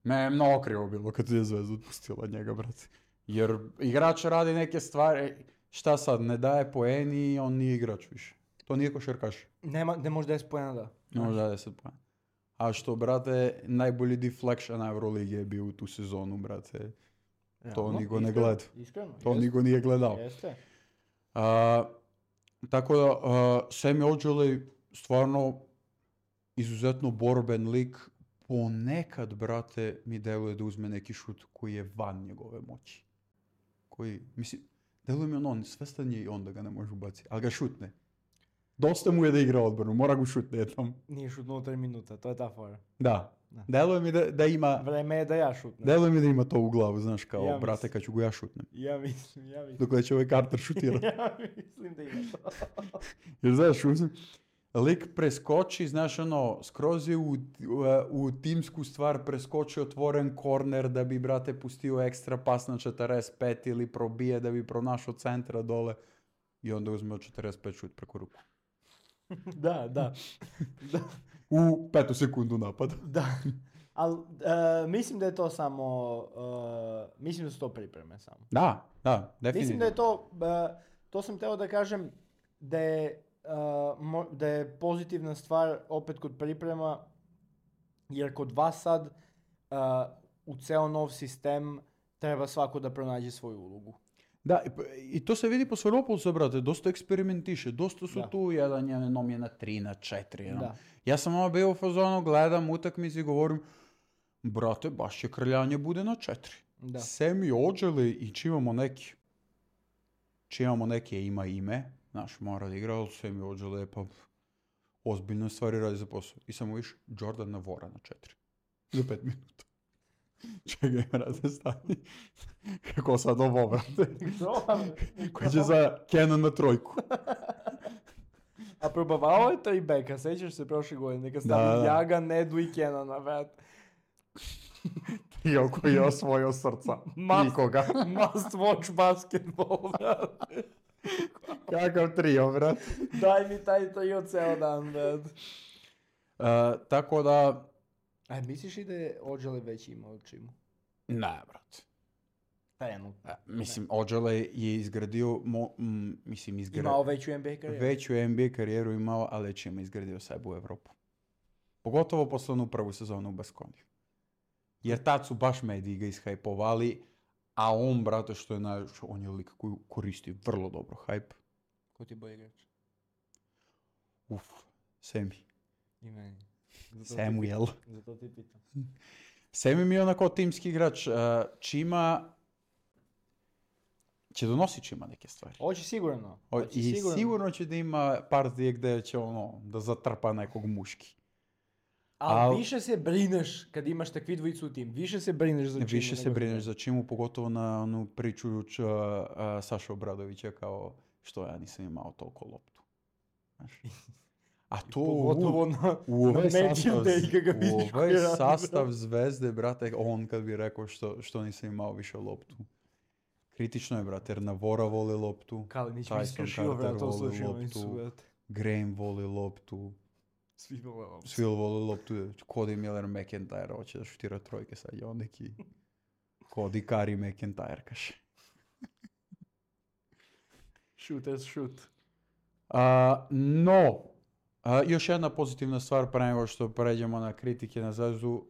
meni je mnogo krivo bilo kad je Zvezda otpustila njega, brate. Jer igrač radi neke stvari, šta sad, ne daje poeni i on nije igrač više. To nije košarkaš. Ne može 10 poena, da. Ne može da 10 poena. A što, brate, najbolji deflection Euroligi je bio u tu sezonu, brate. To niko ne gleda. Iskreno. To niko nije gledao. Jeste. Tako da, Semi Ojeleye stvarno izuzetno borben lik. Ponekad, brate, mi deluje da uzme neki šut koji je van njegove moći. Mislim, deluje mi on svestan je i on da ga ne može ubaciti, ali ga šutne. Dosta mu je da igra odbranu, mora ga šutne jednom. Nije šutnuo 3 minuta, to je ta fora. Da. Deluje mi da ima... Vreme je da ja šutnem. Deluje mi da ima to u glavu, znaš, kao, Ja brate, kad ću ga ja šutnem. Ja mislim. Dok će ovaj Carter šutirati. Ja mislim da ima to. Jer znaš, lik preskoči, znaš ono, skroz je u timsku stvar preskoči otvoren korner da bi, brate, pustio ekstra pas na 45 ili probije da bi pronašao centra dole i onda uzme 45 šut preko ruku. Da. U 5 sekundu napada. Da. Ali mislim da je to samo, mislim da su to pripreme samo. Da, definitivno. Mislim da je to sam teo da kažem da je pozitivna stvar opet kod priprema, jer kod vas sad u ceo nov sistem treba svako da pronađe svoju ulogu. Da, i to se vidi po Svaropolcu, brate, dosta eksperimentiše, dosta su tu, jedan je nomje na 3, na 4. Da. Ja sam ovo bio u fazonu, gledam utakmice i govorim, brate, baš će krljanje bude na 4. Da. Semi Ođeli i čimamo neke ima ime, znaš, mora da igra, ali Semi Ođeli je pa ozbiljno stvari radi za posao. I samo viš Jordan Navora na 4. Za 5 minuta. Čekaj, brate, stani. Kako sad ovo, brate? Koji će za Kenan na 3. A probavao je 3 beka, sećaš se prošle godine, neka stavi Jaga, Nedu i Kenana, brate. Trio koji je osvojio srca. Nikoga. Must watch basketball, brate. Kakav trio, brate. Daj mi taj trio ceo dan, brate. Tako da... misliš i da je Ođele već imao čimu? Ne, brate. Mislim, Ođele je izgradio, imao veću NBA karijeru. Veću NBA karijeru imao, ali čim je izgradio sebe u Evropu. Pogotovo posle onu prvu sezonu u Baskoniju. Jer tad su baš mediji ga ishajpovali, a on, brate, što je on je lik koji koristi vrlo dobro hajp. Ko ti bolji igrač? Semi. I meni. Samuel. Zato ti pitam. Semi mi je onako timski igrač. Čima će donositi Čima neke stvari. Hoće sigurno. Sigurno će da ima partije gde će da zatrpa nekog muški. Ali više se brineš kad imaš takvi dvojicu u tim. Više se brineš za Čimu. Više se brineš za Čimu, pogotovo na onu priču Saša Obradovića kao što ja nisam imao toliko loptu. Znaš? A to u ovaj sastav Zvezde, brate, on kad bi rekao što nisam imao više loptu. Kritično je, brate, jer Navora voli loptu, Tyson Carter voli loptu, Graham voli loptu, svi voli loptu, Cody Miller McIntyre hoće da šutira trojke, sad je on neki Cody Curry McIntyre, kaže. Shoot. No, još jedna pozitivna stvar pre nego što pređemo na kritike na Zvezdu,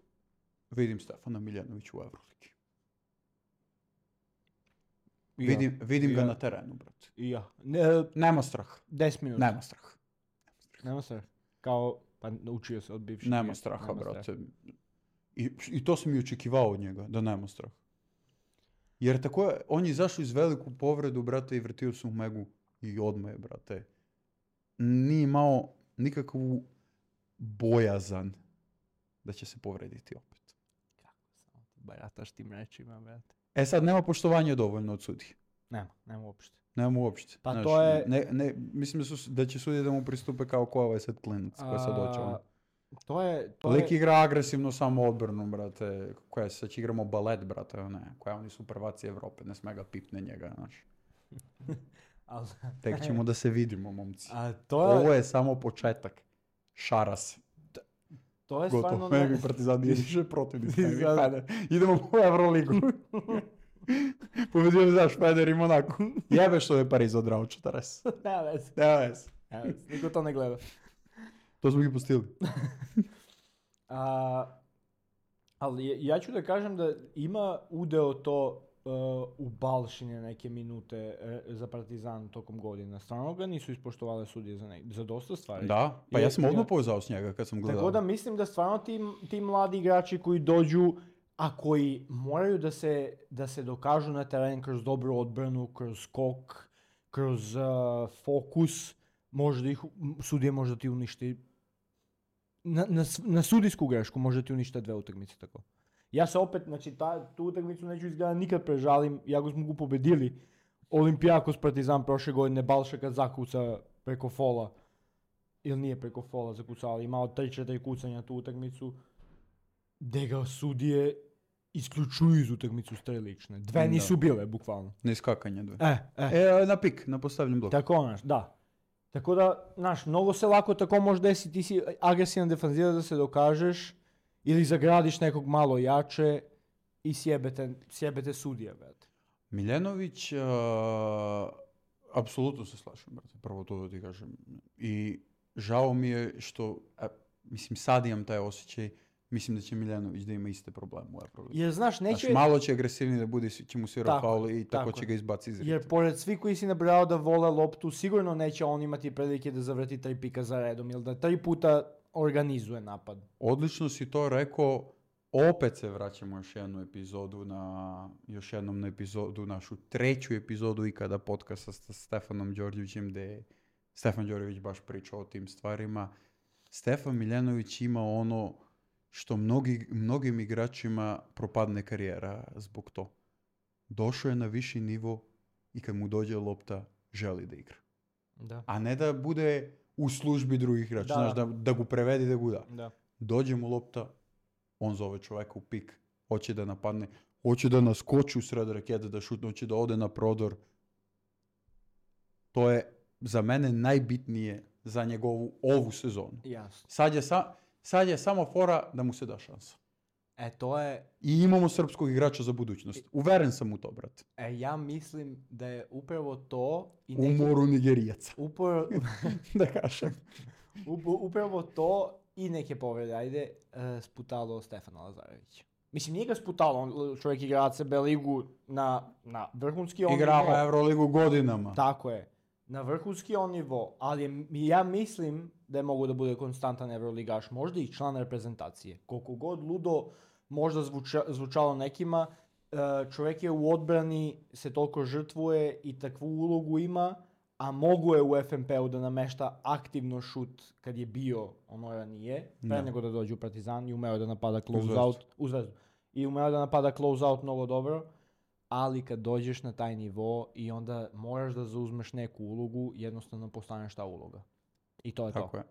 vidim Stefana Miljanovića u Euroligi. Vidim ga na terenu, brate. I ja. Nema strah. 10 minuta. Nema strah. Kao, pa učio se od bivših. Nema straha, brate. I to sam i očekivao od njega, da nema strah. Jer tako je, on je izašao iz veliku povredu, brate, i vrtio se u megu i odmah je, brate. Nije imao nikakvu bojazan da će se povrediti opet. Kako samo ti barataš tim rečima, brate. Sad, nema poštovanja dovoljno od sudije. Nema uopšte. Nema uopšte. Pa znaš, to je... mislim da će sudije da mu pristupe kao ko ovaj sad klinac koja sad doće on. Lik igra agresivno samo odbranu, brate. Sad će igramo balet, brate. Koja oni su prvaci Evrope, ne sme ga pipne njega, znaš. Tek ćemo da se vidimo, momci. Ovo je samo početak. Šara se. To je gotovo. stvarno... Meni Partizan nije više protivni. Idemo u Euroligu. Pobedio znaš, Feder i Monaco. Jebe što je Pariz odrao 40. Nema veze. Niko to ne gleda. To smo ih pustili. Ali ja ću da kažem da ima udeo to u Balšine neke minute za Partizan tokom godina. Stvarno ga nisu ispoštovale sudije za dosta stvari. Da, pa ja sam odmah povezao s njega kad sam gledao. Tako da mislim da stvarno ti mladi igrači koji dođu, a koji moraju da se dokažu na teren kroz dobru odbranu, kroz skok, kroz fokus, sudije možda ti uništi na sudijsku grešku možda ti uništa 2 utakmice tako. Ja se opet, znači tu utakmicu neću izgledati nikad prežalim, jako smo ga pobedili. Olimpijakos Partizan prošle godine, Balša kad zakuca preko fola. ili nije preko fola zakucali, imao 3-4 kucanja tu utakmicu, gdje ga sudije isključuju iz utakmicu strelične. Dve nisu bile, bukvalno. Na iskakanje dve. Na pik, na postavljen blok. Tako, znaš, da. Tako da, znaš, mnogo se lako tako može desiti, ti si agresivan defanzivac da se dokažeš, ili zagradiš nekog malo jače i sjebete sudija, brate. Miljenović, apsolutno se slažem, brate, prvo to da ti kažem. I žao mi je što, mislim, sad imam taj osjećaj, mislim da će Miljanović da ima iste probleme u Euroligi. Jer, znaš, neće... malo će agresivniji da bude, će mu svira faul i tako će ga izbaci iz ritma. Jer pored svi koji si nabrao da vole loptu, sigurno neće on imati prilike da zavrti 3 pika za redom ili da 3 puta organizuje napad. Odlično si to rekao, opet se vraćamo još jednom na epizodu, našu 3. epizodu ikada podcasta sa Stefanom Đorđevićem, gdje je Stefan Đorđević baš pričao o tim stvarima. Stefan Miljanović ima ono što mnogim igračima propadne karijera zbog to. Došao je na viši nivo i kad mu dođe lopta, želi da igra. Da. A ne da bude u službi drugih igrača, znaš, da gu prevedi, da gu da. Dođe mu lopta, on zove čovjeka u pik, hoće da napadne, hoće da naskoči u sred rakete, da šutne, hoće da ode na prodor. To je za mene najbitnije za njegovu ovu sezonu. Jasno. Sad je samo fora da mu se da šansa. To je... I imamo srpskog igrača za budućnost. Uveren sam u to, brate. Ja mislim da je upravo to... U moru Nigerijaca. Da kažem. Upravo to i neke povrede, ajde, sputalo Stefana Lazarevića. Mislim, nije ga sputalo, on čovjek igra ACB ligu na vrhunski on nivo. Igrava Euroligu godinama. Tako je. Na vrhunski on nivo, ali ja mislim da je mogu da bude konstantan Euroligaš, možda i član reprezentacije. Koliko god ludo možda zvučalo nekima, čovjek je u odbrani, se toliko žrtvuje i takvu ulogu ima, a mogu je u FNP-u da namešta aktivno šut kad je bio ono ranije, pre nego da dođe u Partizan i umeo da napada close-out u Zvezdu. I umeo da napada close-out mnogo dobro, ali kad dođeš na taj nivo i onda moraš da zauzmeš neku ulogu, jednostavno postaneš ta uloga. I to je tako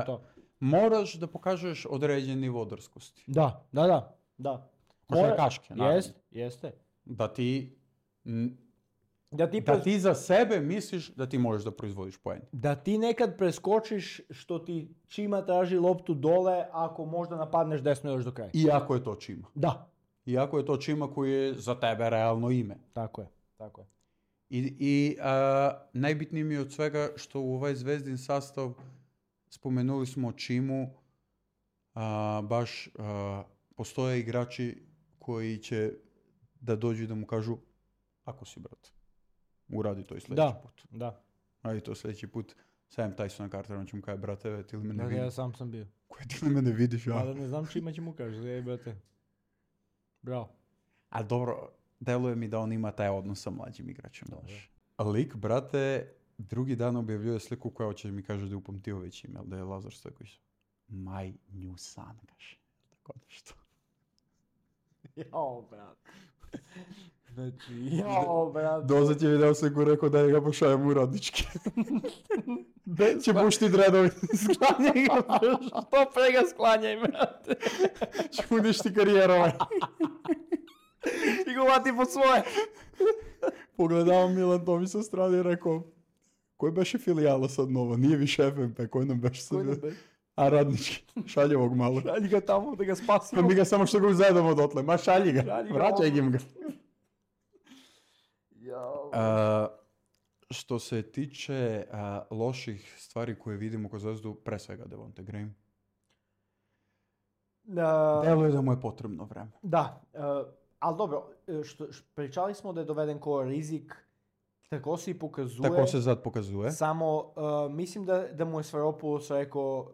to. Je. Moraš da pokažeš određen nivo drskosti. Da. Košarkaške, naravno. Jeste. Da ti za sebe misliš da ti možeš da proizvodiš poen. Da ti nekad preskočiš što ti Čima traži loptu dole ako možda napadneš desno još do kraja. Iako je to Čima. Da. Iako je to Čima koji je za tebe realno ime. Tako je. I najbitnije mi je od svega što u ovaj Zvezdin sastav spomenuli smo Čimu, baš postoje igrači koji će da dođu i da mu kažu ako si, brat, uradi to i sljedeći put. Da. Radi to sljedeći put. Sam Tysona Cartera, on će mu kaže, brate, ti li mene vidiš? Ja sam bio. Koje ti li mene vidiš? Ja? Da ne znam Čima će mu kaže, brate. Bravo. A dobro, deluje mi da on ima taj odnos sa mlađim igračem. Lik, brate, drugi dan objavljuje sliku koja hoće mi kaže da je Upamtijević ime, ali da je Lazar Stojković. My new son, kaže. Tako nešto. Jao, brate. Brate. Dozad je video sliku rekao da ga pošajem u radnički. Će bušti dredovi. Sklanjaj ga, što pre ga sklanjaj, brate. Će uništi karijeru. I go vati po svoje. Pogledavam Milan Tomi sa strane i rekao, koji beše filijala sad nova? Nije više FNP, koji nam beše sad? A radnički, šalje ovog malo. Šalji ga tamo da ga spasimo. Pa mi ga samo što ga uzedamo odotle, ma šalji ga, vraćaj im ga. Što se tiče loših stvari koje vidimo kod Zvezdu, pre svega Devonte Graham. Deluje da mu je potrebno vreme. Da, ali dobro, pričali smo da je doveden ko rizik, tako se i pokazuje. Tako se sad pokazuje. Samo mislim da mu je Svaropoulos rekao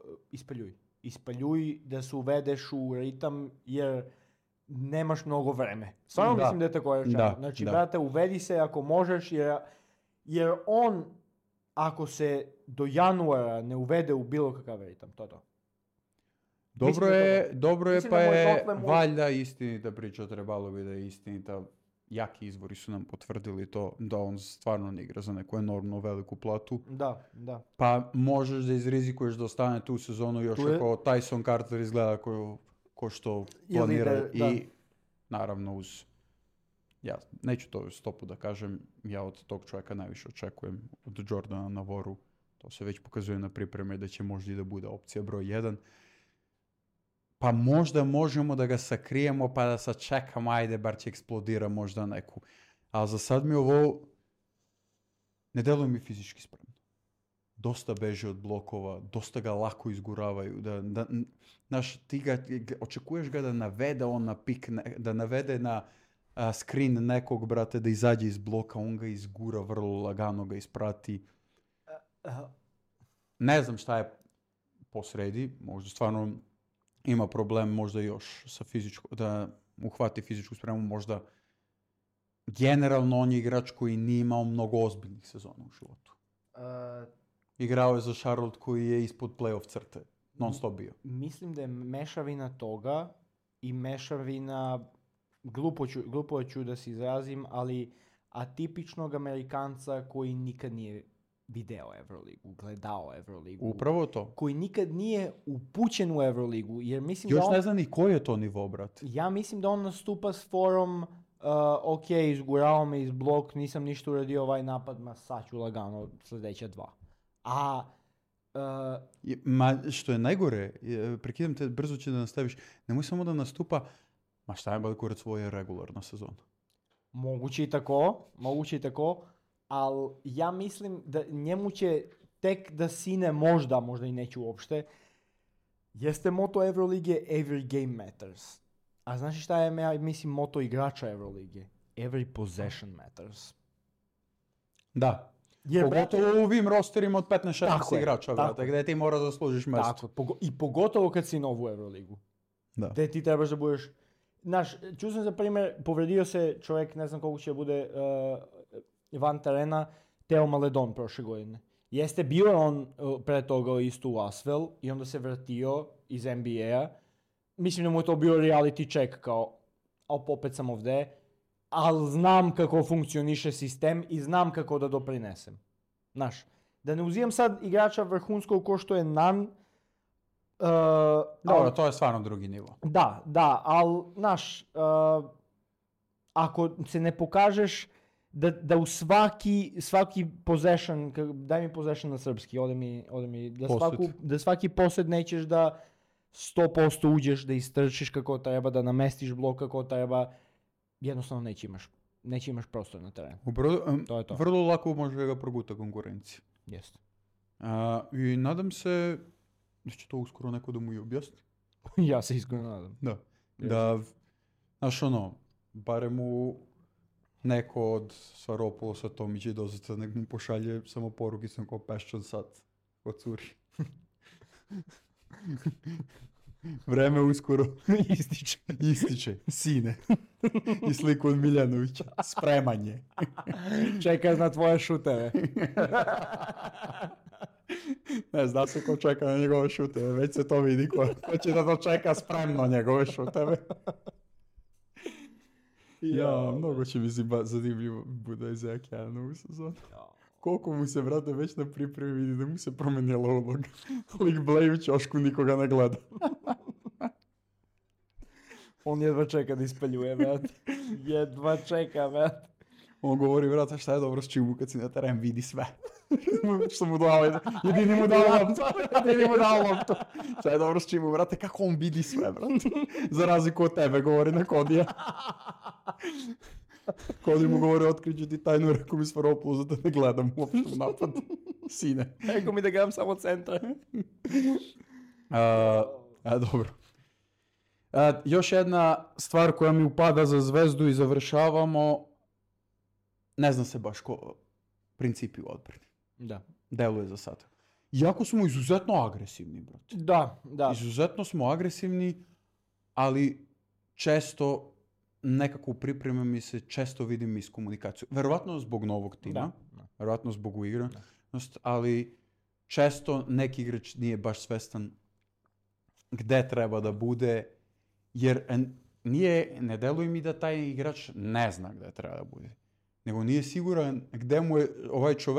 ispaljuj da se uvedeš u ritam jer nemaš mnogo vreme. Stvarno mislim da je tako rečeno. Znači, brate, uvedi se ako možeš jer on ako se do januara ne uvede u bilo kakav ritam, to. Dobro je, pa je valjda istinita priča, trebalo bi da je istinita. jaki izvori su nam potvrdili to da on stvarno ne igra za neku enormno veliku platu. Da. Pa možeš da izrizikuješ da ostane tu sezonu još Tu je- ako Tyson Carter izgleda ko što planira da. i naravno uz ja neću to stopu da kažem, ja od tog čovjeka najviše očekujem od Jordana Navoru. To se već pokazuje na pripreme da će možda i da bude opcija broj 1. Pa možda možemo da ga sakrijemo pa da sačekamo, ajde, bar će eksplodira možda neku. Ali za sad mi ovo ne deluje mi fizički spremno. Dosta beže od blokova, dosta ga lako izguravaju. Znaš, očekuješ ga da navede on na pik, da navede na screen nekog, brate, da izađe iz bloka, on ga izgura, vrlo lagano ga isprati. Ne znam šta je posredi, možda stvarno ima problem možda još sa da uhvati fizičku spremu, možda generalno on je igrač koji nije imao mnogo ozbiljnih sezona u životu. Igrao je za Charlotte koji je ispod playoff crte, non stop bio. Mislim da je mešavina toga i mešavina, glupo ću da se izrazim, ali atipičnog Amerikanca koji nikad nije video Euroligu, gledao Euroligu. Upravo to. Koji nikad nije upućen u Euroligu, jer mislim još da on... ne zna ni koji je to nivo, brate. Ja mislim da on nastupa s forom ok, izgurao me iz blok, nisam ništa uradio ovaj napad, ma sad ću lagano sljedeća 2. A... što je najgore, prekidam te, brzo će da nastaviš, nemoj samo da nastupa, ma šta je kurac svoje regularna sezona. Moguće i tako, ali ja mislim da njemu će tek da sine možda i neću uopšte, jeste moto Eurolige Every game matters. A znaš šta je, ja mislim, moto igrača Eurolige? Every possession matters. Da. Jer, pogotovo u ovim rosterima od 15-16 igrača, brate, gdje ti moraš da služiš mesto. Tako, i pogotovo kad si nov u Euroligu. Da. Gdje ti trebaš da budeš... Znaš, čuo sam za primjer, povredio se čovjek, ne znam koliko će bude van terena, Teo Maledon prošle godine. Jeste bio on pre toga isto u Asvel i onda se vratio iz NBA-a. Mislim da mu je to bio reality check kao, opet sam ovdje, ali znam kako funkcioniše sistem i znam kako da doprinesem. Znaš, da ne uzimam sad igrača vrhunskog ko što je Nan. Dobro, to je stvarno drugi nivo. Da, ali, znaš, ako se ne pokažeš da u svaki possession, daj mi possession na srpski, ode mi da svaki posed nećeš da 100% uđeš, da istrčiš kako treba, da namestiš blok kako treba, jednostavno neće imaš prostor na terenu. To je to. Vrlo lako može ga proguta konkurencija. Jeste. I nadam se da će to uskoro neko da mu i objasni. Ja se iskreno nadam. Da. Da, znaš barem u neko od Svaropulosa Tomića i Dozeta nek mu pošalje samo porukicom kao peščan sad od curi. Vreme uskoro ističe. Sine. I sliku od Miljanovića. Spremanje. Čeka na tvoje šuteve. Ne, zna se ko čeka na njegove šuteve. Već se to vidi ko će da dočeka spremno njegove šuteve. Mnogo će mi se zanimljivo bude za Okeana ovu sezonu. Koliko mu se, brate, već na pripremi vidi da mu se promenila uloga. Lik bleju ćošku, nikoga ne gleda. On jedva čeka da ispaljuje, brate. Jedva čeka, brate. On govori, brate, šta je dobro s Čimu kad si na teren, vidi sve. Što mu dao, jedini mu dao loptu. Šta je dobro s Čimu, brate, kako on vidi sve, brate. Za razliku od tebe, govori na Kodija. Kodi mu govori, otkriću ti tajnu, rekao mi Svaropoulos da ne gledam uopšte u napad. Sine. Rekao mi da gledam samo centra. Dobro. Još jedna stvar koja mi upada za Zvezdu i završavamo, ne zna se baš ko principi u odbrani. Da. Deluje za sad. Iako smo izuzetno agresivni, brate. Da. Izuzetno smo agresivni, ali često nekako u pripremi mi se često vidim iskomunikaciju. Verovatno zbog novog tima, verovatno zbog uigranosti, ali često neki igrač nije baš svestan gde treba da bude, jer ne deluje mi da taj igrač ne zna gde treba da bude. Nego nije siguran gde mu je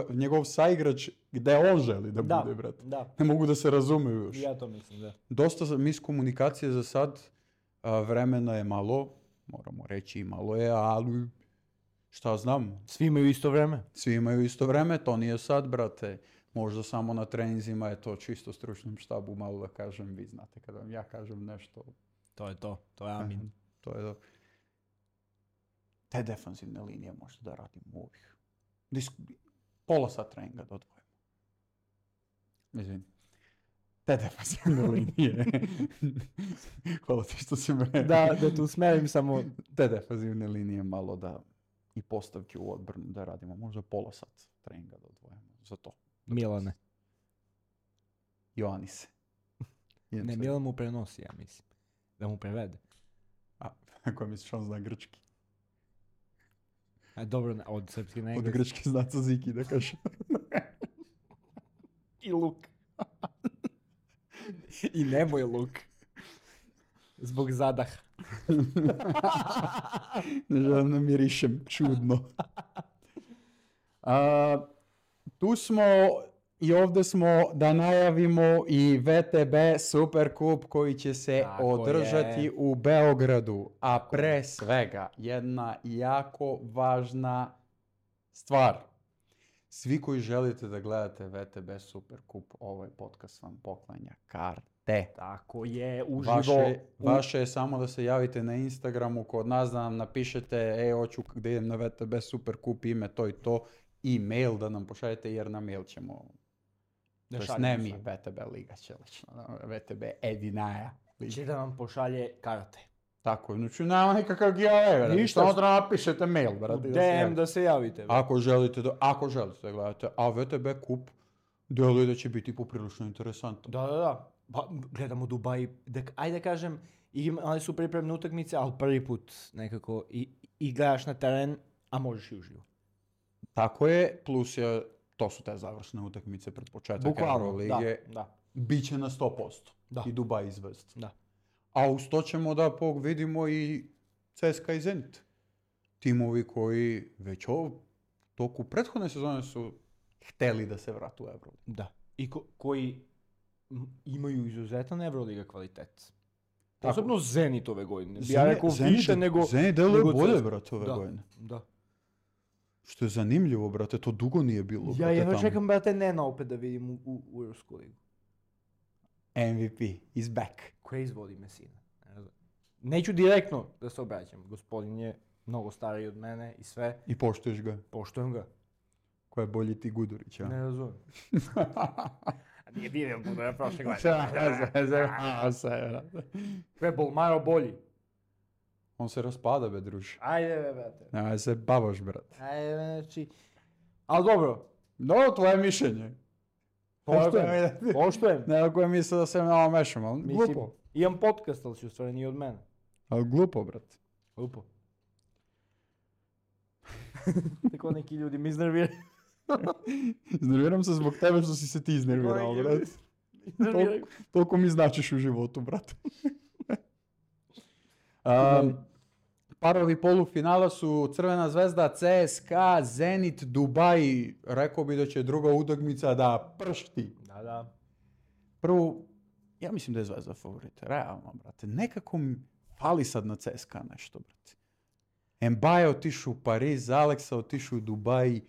njegov saigrač, gde on želi da bude, brate. Da, Ne mogu da se razumeju još. ja to mislim, da. Dosta miskomunikacije za sad, vremena je malo, moramo reći i malo je, ali šta znam, Svi imaju isto vreme. svi imaju isto vreme, to nije sad, brate. Možda samo na treninzima je to čisto stručnom štabu, malo da kažem, vi znate kada vam ja kažem nešto. To je amin. To je te defanzivne linije možda da radimo ovih. Pola sat treninga da odvojimo. Izvini. Te defanzivne linije. Hvala ti što si me... Da tu smerim samo... Te defanzivne linije malo da i postavke u odbranu da radimo. Možda pola sat treninga da odvojimo za to. Milane. Joanise. Ne, Milan mu prenosi, ja mislim. Da mu prevede. Ako misliš on zna grčki. A dobro, od srpski na Od engleski. grčki zna Ziki da kaže. I luk. I nemoj luk. Zbog zadaha. Ne želim da mirišem čudno. Tu smo i ovdje smo da najavimo i VTB Superkup koji će se Tako održati je. u Beogradu. A pre svega jedna jako važna stvar. Svi koji želite da gledate VTB Superkup, ovaj podcast vam poklanja karte. Tako je, uživo. Vaše je samo da se javite na Instagramu kod nas, da nam napišete hoću da idem na VTB Superkup, ime to i to, i mail da nam pošaljete jer na mail ćemo, Da to jest šaljemo ne mi, sve. VTB Liga će lično, VTB Edinaja. Će da vam pošalje karte. Tako, znači nema nikakav giveaway, Ništa. samo da napišete mail, brate. da se DM javite. da se javite. bre. Ako želite da gledate, a VTB kup deluje da će biti poprilično interesantno. Da. Pa, gledamo Dubaj. Ajde da kažem, imali su pripremne utakmice, ali prvi put nekako i gledaš na teren, a možeš i uživo. Tako je, plus to su te završne utakmice pred početak Bukvalno, Eurolige. da. Biće na 100%. Da. I Dubaj izvest. Da. A uz to ćemo da vidimo i CSKA i Zenit. Timovi koji već toku prethodne sezone su hteli da se vratu u Euroligu. Da. I koji imaju izuzetan Euroliga kvalitet. Tako. Posebno Zenit ove godine. Ja rekao više nego... Zenit deluje nego bolje, CSKA. brate, ove godine. Da. Što je zanimljivo, brate, to dugo nije bilo. Ja brate, jedva tamo. čekam, brate, Nena opet da vidim u Europsku ligu. MVP is back. Koje izvodi Messina. Neću direktno da se obraćam. Gospodin je mnogo stariji od mene i sve. I poštuješ ga. Poštujem ga. Ko je bolji ti Gudurić, a? Ne razumijem. Nije vidio Gudura prošle Ko je Bolmaro bolji? On se raspada, be, druže. Ajde, brate. Nemoj se bavaš, brate. Ajde, znači... Ali dobro. No, tvoje mišljenje. Poštujem. Ne, koje misle da se malo mešam, ali Mislim, glupo. imam podcast, ali si u stvari nije od mene. Ali glupo, brate. Glupo. Tako neki ljudi mi iznerviraju. Iznerviram se zbog tebe što si se ti iznervirao, brate. Toliko mi značiš u životu, brate. Parovi polufinala su Crvena zvezda, CSKA, Zenit, Dubaj. Rekao bi da će druga utakmica da pršti. Da. Prvo, ja mislim da je Zvezda favorit. Realno, brate. Nekako mi fali sad na CSKA nešto, brate. Mbaye otišao u Pariz, Aleksa otišao u Dubaj.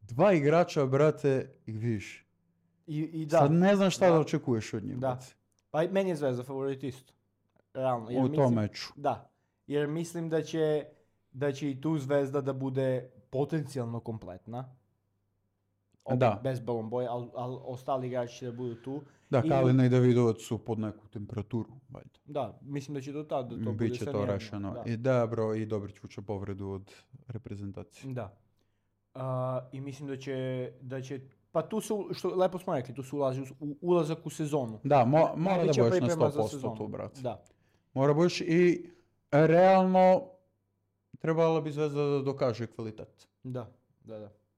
Dva igrača, brate, i vidiš. I da. Sad ne znam šta Da. da očekuješ od njih, Da. brate. Pa i meni je Zvezda favorit isto. Realno. Jer U tom meču. Da. Jer mislim da će i tu Zvezda da bude potencijalno kompletna. Opet Da. Bez Bolomboja, ali ostali igrači će da budu tu. Da, I- Kalina i Davidovac su pod neku temperaturu, valjda. Da, mislim da će do tada to bude Biće sve to mirno, rešeno. Da. I da, bro, i Dobrić vuče povredu od reprezentacije. Da. I mislim da će pa tu se, što lepo smo rekli, tu se ulazi u ulazak u sezonu. Da, mora da Najveća budeš na priprema za 100% sezonu. tu, brate. Da. Mora budeš i realno trebala bi Zvezda da dokaže kvalitet. Da.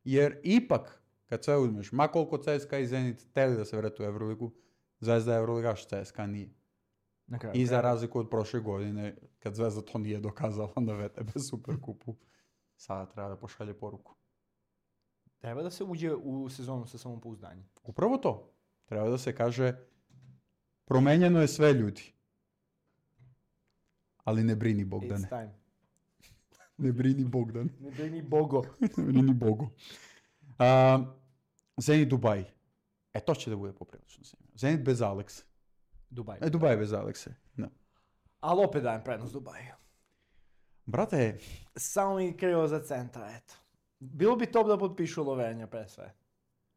Jer ipak, kad sve uzmeš, ma koliko CSKA i Zenit teli da se vratu u Euroligu, Zvezda je Euroligaš, CSKA nije. Na kraju I za krajeva. razliku od prošle godine, kad Zvezda to nije dokazala na VTB Superkupu, sada treba da pošalje poruku. Treba da se uđe u sezonu sa samopouzdanjem. Upravo to. Treba da se kaže, promenjeno je sve, ljudi. Ali ne brini Bogdane. It's time. Ne brini Bogdan. Ne brini Bogo. Ne brini Bogu. Zenit Dubaj. To će da bude poprilično zanimljivo. Zenit bez Alekse. Dubaj. Dubaj bez Alekse. Da. Ali opet dajem prednost Dubaju. Brate, Samo mi krivo za centra, eto. Bilo bi top da potpišu Lovenja pre sve.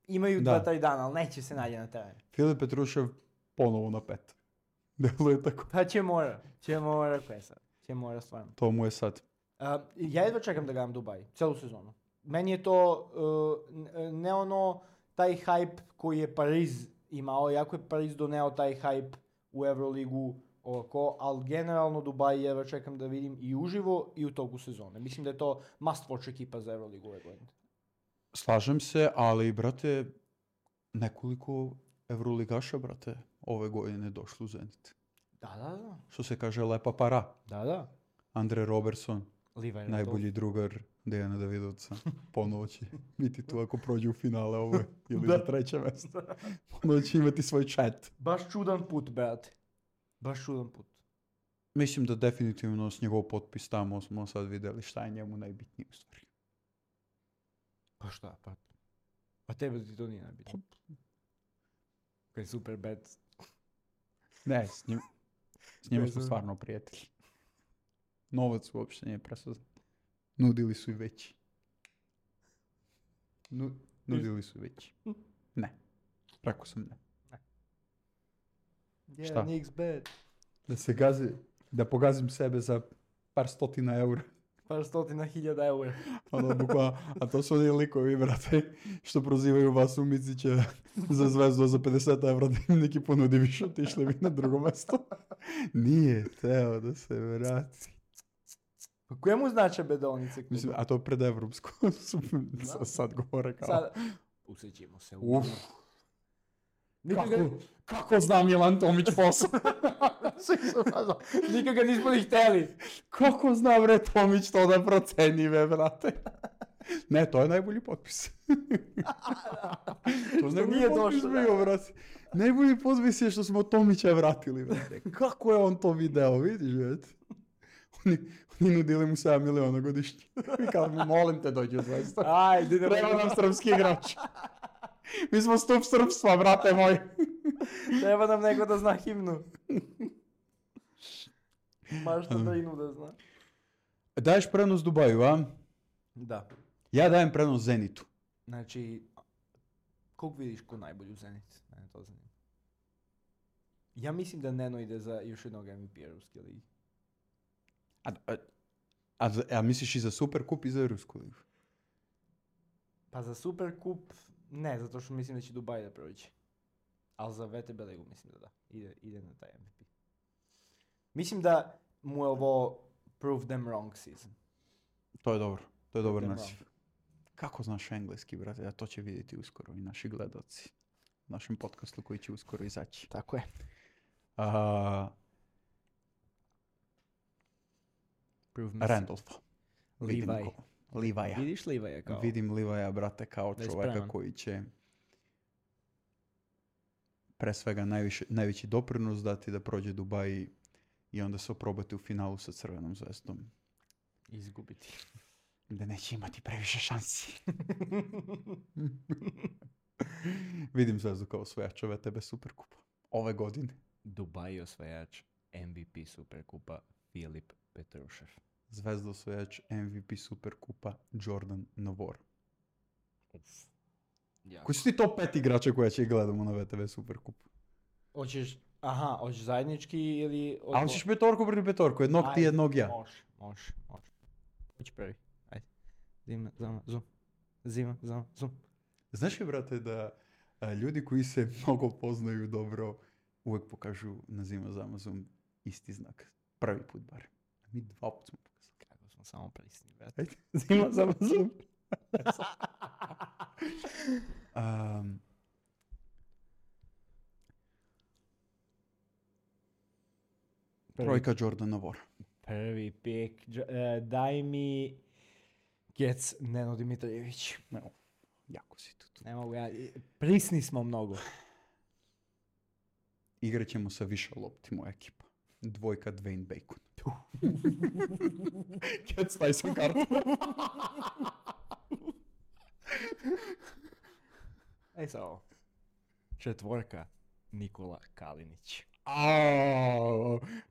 Imaju Da. 2-3 dana, ali neće se nađe na terenu. Filip Petrušev ponovo na 5. Deluje tako. Pa će mora koje sad. Će mora stvarno. To mu je sad. Ja jedva čekam da gledam Dubaj, celu sezonu. Meni je to ne ono taj hype koji je Pariz imao, jako je Pariz doneo taj hype u Euroligu, ali generalno Dubaj jedva čekam da vidim i uživo i u toku sezone. Mislim da je to must watch ekipa za Euroligu ove godine. Slažem se, ali, brate, nekoliko evroligaša, brate, ove godine došlo u Zenit. Da. Što se kaže, lepa para. Da. Andre Robertson, Levi najbolji drugar Dejana Davidovca. Ponovo će biti tu ako prođe u finale ove ili za treće mjesto. Ponovo će imati svoj chat. Baš čudan put, brate. Baš čudan put. Mislim da definitivno s njegov potpis tamo smo sad vidjeli šta je njemu najbitnije u stvari. Pa šta, pa tebe ti to nije najbitno. Kaj super bad. Ne, s njima smo stvarno prijatelji. Novac uopšte nije presudan. Nudili su i veći. Nudili su i veći. Ne. Rekao sam ne. Yeah, Šta? Knicks bad. Da se da pogazim sebe za par stotina eura. Par stotina hiljada eura. Ono, bukvalno, a to su oni likovi, brate, što prozivaju vas u Micića za Zvezdu za 50 evra da im neki ponudi više, otišli bi na drugo mesto. Nije teo da se vrati. Pa kojemu znače bedonice? Mislim, a to pred evropsko sad govore kao... Sad, usjećimo se. Uf, Nikad kako znam Milan Tomić posao? Nikad ga nismo ni hteli. Kako zna bre Tomić to da proceni, brate? Ne, to je najbolji potpis. To Što nije došlo, da. bio, brate. Najbolji potpis je što smo Tomića vratili, brate. Kako je on to video, vidiš, brate? Oni nudili mu 7 miliona godišnje. I kao, molim te, dođi u Zvezdu. Ajde, Treba nam srpski igrač. Mi smo stup srpstva, brate moj. Treba nam neko da zna himnu. Baš to da inu da zna. Daješ prenos Dubaju, a? Da. Ja dajem prenos Zenitu. Znači, koliko vidiš ko najbolji u Zenit? Mene to zanima. Ja mislim da Neno ide za još jednog MVP-a Ruske ligi. A misliš i za Superkup i za Rusku ligu? Pa za Superkup ne, zato što mislim da će Dubaj da prođe. Ali za VTB ligu mislim da. Ide na taj MVP. Mislim da mu je ovo prove them wrong season. To je dobro. To je dobar Idemo. naziv. Kako znaš engleski, brate? A to će vidjeti uskoro i naši gledaoci. U našem podcastu koji će uskoro izaći. Tako je. Prove me Randolpha. Vidim Levi. ko. Levi'a. Vidiš Levi'a kao? Vidim Levi'a, brate, kao Da je čoveka spreman. koji će pre svega najveći doprinos dati da prođe Dubaj i onda se oprobati u finalu sa Crvenom zvezdom. Izgubiti. Da neće imati previše šansi. Vidim Zvezdu kao osvajača VTB Superkupa. Ove godine. Dubaj osvajač MVP Superkupa Filip Petrušev. Zvezda osvajač MVP Superkupa Jordan Novor. Jako. Koji su ti top 5 igrača koja će gledamo na VTB Superkupu? Hoćeš zajednički ili... A hoćeš petorku protiv petorku, jednog ti, jednog ja. Može. Hoći prvi. Ajde. Zima, zoom. Znaš li, brate, da ljudi koji se mnogo poznaju dobro uvek pokažu na Zima Zamazom isti znak. Prvi put bar. Mi 2 puta smo pokazali. Kako smo samo prisni, brate. Ajde, Zima Zamazom. Trojka Jordana Vora. Prvi pik. Daj mi Kec Neno Dimitrijević. Evo, jako si tu. Ne mogu ja. Prisni smo mnogo. Igrat ćemo sa više lopti, moja ekipa. Dvojka Dwayne Bacon. Kec, daj sam kartu. Ej sad ovo. Četvorka Nikola Kalinić.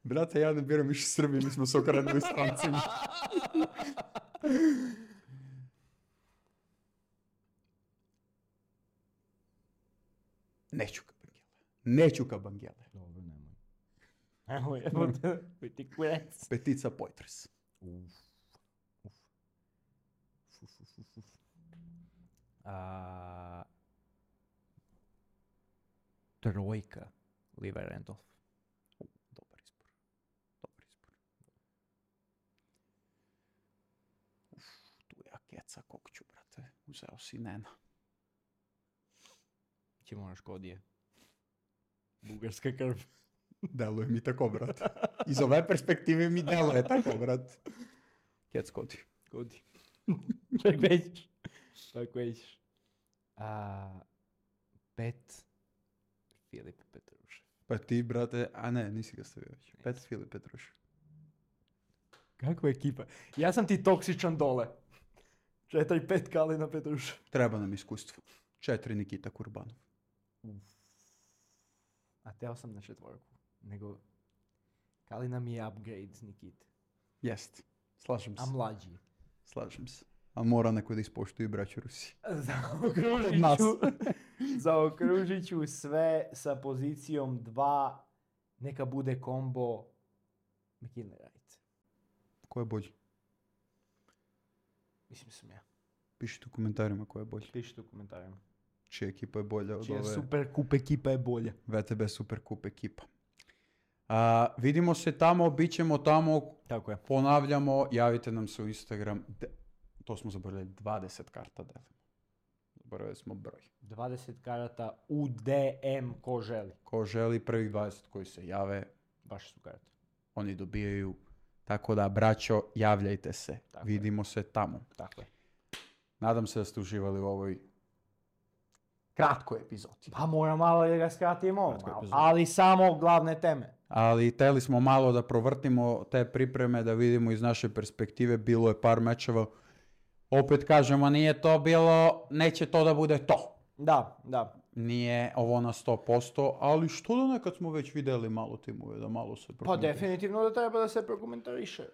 Brate, ja ne biram više Srbi, mi smo se okrenuli strancima. Neću ka Bangele. Dobro, nemoj. Evo ti kurec. Petica Poitras. Trojka Liva Randolph. Dobar izbor. Tu ja Keca kokću, brate. Uzeo si Nena. Ćemo na Škodije. Bugarska krv. Deluje mi tako, brate. Iz ove perspektive mi deluje tako, brate. Kec Kodi. Godi. Tako većiš. Pet Filip Petrušev. Pa ti, brate, a ne, nisi ga stavio već. Pet Filip Petrušev. Kakva ekipa? Ja sam ti toksičan dole. 4-5 Kalina Petrušev. Treba nam iskustvo. 4 Nikita Kurbanov. A teo sam na četvorku. Nego Kalina mi je upgrade Nikite. Jest. Slažem se. A mlađi. Slažem se. A mora neko da ispoštuje braću Rusi. Zaokružit ću sve sa pozicijom 2. Neka bude kombo McKinley Wright. Ko je bolji? Mislim sam ja. Pišite u komentarima ko je bolji. Pišite u komentarima. Čija ekipa je bolja od Čija ove super kup ekipa je bolja. VTB Super Kup ekipa. Vidimo se tamo, bit ćemo tamo. Tako je. Ponavljamo, javite nam se u Instagram. To smo zaboravili, 20 karta delimo. Zaboravili smo broj. 20 karata u DM ko želi. Ko želi, prvih 20 koji se jave, Baš su karte. oni dobijaju. Tako da, braćo, javljajte se. Tako Vidimo se tamo. Tako je. Nadam se da ste uživali u ovoj kratkoj epizodi. Pa moram malo da ga skratimo, Kratko epizod. ali samo glavne teme. Ali htjeli smo malo da provrtimo te pripreme, da vidimo iz naše perspektive. Bilo je par mečeva. Opet kažemo, nije to bilo, neće to da bude to. Da. Nije ovo na 100%, ali što da nekad smo već vidjeli malo timove, da malo se Pa prokomentariše. definitivno da treba da se prokomentariše.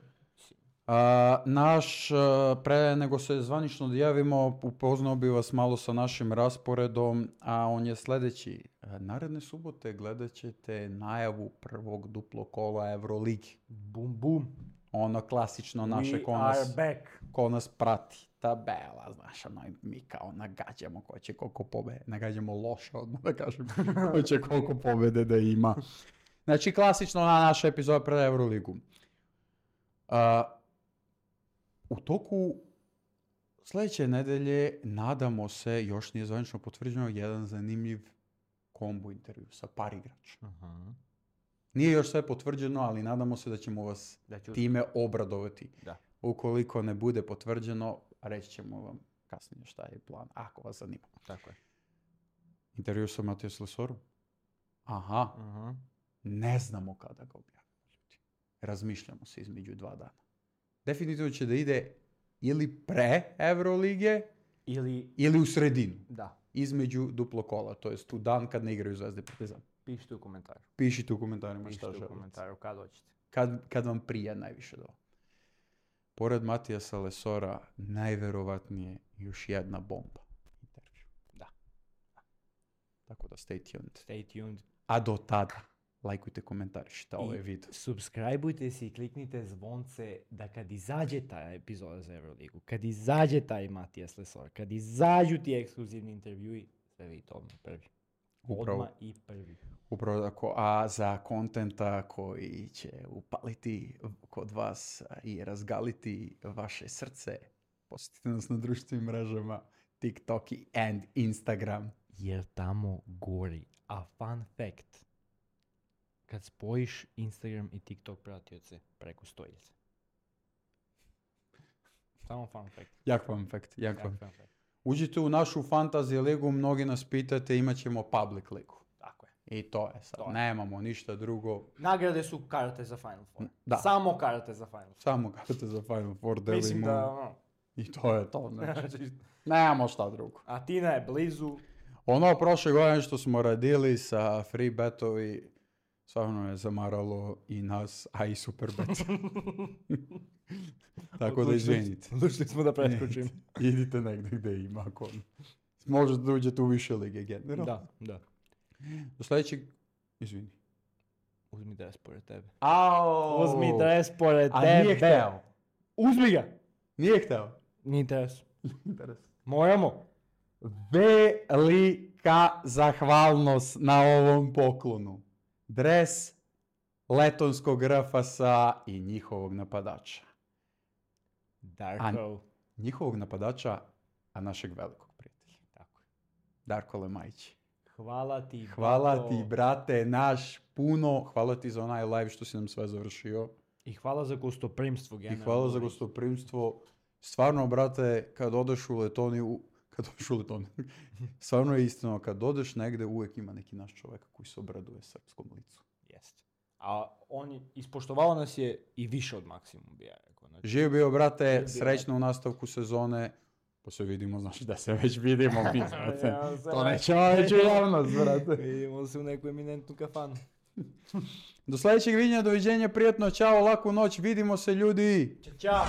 Pre nego se zvanično dojavimo, upoznao bi vas malo sa našim rasporedom, a on je sljedeći. Naredne subote gledat ćete najavu prvog duplo kola Euroligi. Bum. Ono klasično naše ko nas prati. Tabela, znaš, mi kao nagađamo ko će koliko pobede. Nagađamo loše, odmah da kažem, ko će koliko pobede da ima. Znači, klasično na naša epizoda pred Euroligu. U toku sljedeće nedelje nadamo se, još nije zvanično potvrđeno, jedan zanimljiv kombo intervju sa par igrača. Nije još sve potvrđeno, ali nadamo se da ćemo vas time obradovati. Da. Ukoliko ne bude potvrđeno, reći ćemo vam kasnije šta je plan, ako vas zanima. Tako je. Intervju sa Matijas Lesorom? Aha. Ne znamo kada ga objavimo, ljudi. Razmišljamo se između 2 dana. Definitivno će da ide ili pre Eurolige ili u sredinu. Da. Između duplo kola, to jest u dan kad ne igraju Zvezda i Partizan. Pišite u komentaru. Pišite u komentarima šta Pišite u želite. komentaru kad hoćete. Kad vam prija najviše do. Pored Matijasa Lesora, najverovatnije još jedna bomba. Intervju. Da. Tako da stay tuned. Stay tuned. A do tada, lajkujte, komentarišite ovaj video. Subscribeujte se i kliknite zvonce da kad izađe ta epizoda za Euroligu, kad izađe taj Matijas Lesor, kad izađu ti ekskluzivni intervjui, sve vidite odmah prvi. Odmah i prvi. Upravo tako, a za kontenta koji će upaliti kod vas i razgaliti vaše srce, posjetite nas na društvenim mrežama TikTok i Instagram. Jer tamo gori. A fun fact, kad spojiš Instagram i TikTok pratioce preko 100.000. Samo fun fact. Jak fun fact, jak Jak fun. fun fact. Uđite u našu fantasy ligu, mnogi nas pitate, imat ćemo public ligu. Tako je. I to je sad, To je. nemamo ništa drugo, Nagrade su karte za Final Four. Da. Samo karte za Final Four. samo karte za Final Four delimo. Mislim da, ono, I to je to, znači, znači, nemamo šta drugo. Atina je blizu. Ono prošle godine što smo radili sa free betovi, stvarno je zamaralo i nas, a i super bet. Tako da izvinite. Odlučili smo da preskočimo. Idite negdje gdje ima, ako možete da uđete u više lige generalno. Da. Do sljedećeg, izvini. Uzmi dres pored tebe. Au! Uzmi dres pored A tebe. nije hteo. Uzmi ga. Nije hteo. Nije dres. Interes. Moramo. Velika zahvalnost na ovom poklonu. Dres letonskog RFS-a i njihovog napadača. Darko. Njihovog napadača, a našeg velikog prijatelja. Tako je. Darko Lemajić. Hvala ti. Hvala bato. ti, brate, naš puno. Hvala ti za onaj live što si nam sve završio. I hvala za gostoprimstvo. I hvala za gostoprimstvo. Stvarno, brate, kad odeš u Letoniju, stvarno je istina, kad odeš negde, uvijek ima neki naš čovjek koji se obraduje srpskom licu. Jeste. A on ispoštovao nas je i više od maksimum, bi ja rekao. Znači, Živ bio, brate, bio, srećno u nastavku sezone. Pa se vidimo, znači da se već vidimo, mi, brate. Ja se To ne- nećemo reći u javnost, brate. Vidimo se u neku eminentnu kafanu. Do sljedećeg viđenja, doviđenja, prijatno, čao, laku noć, vidimo se ljudi. Ćao.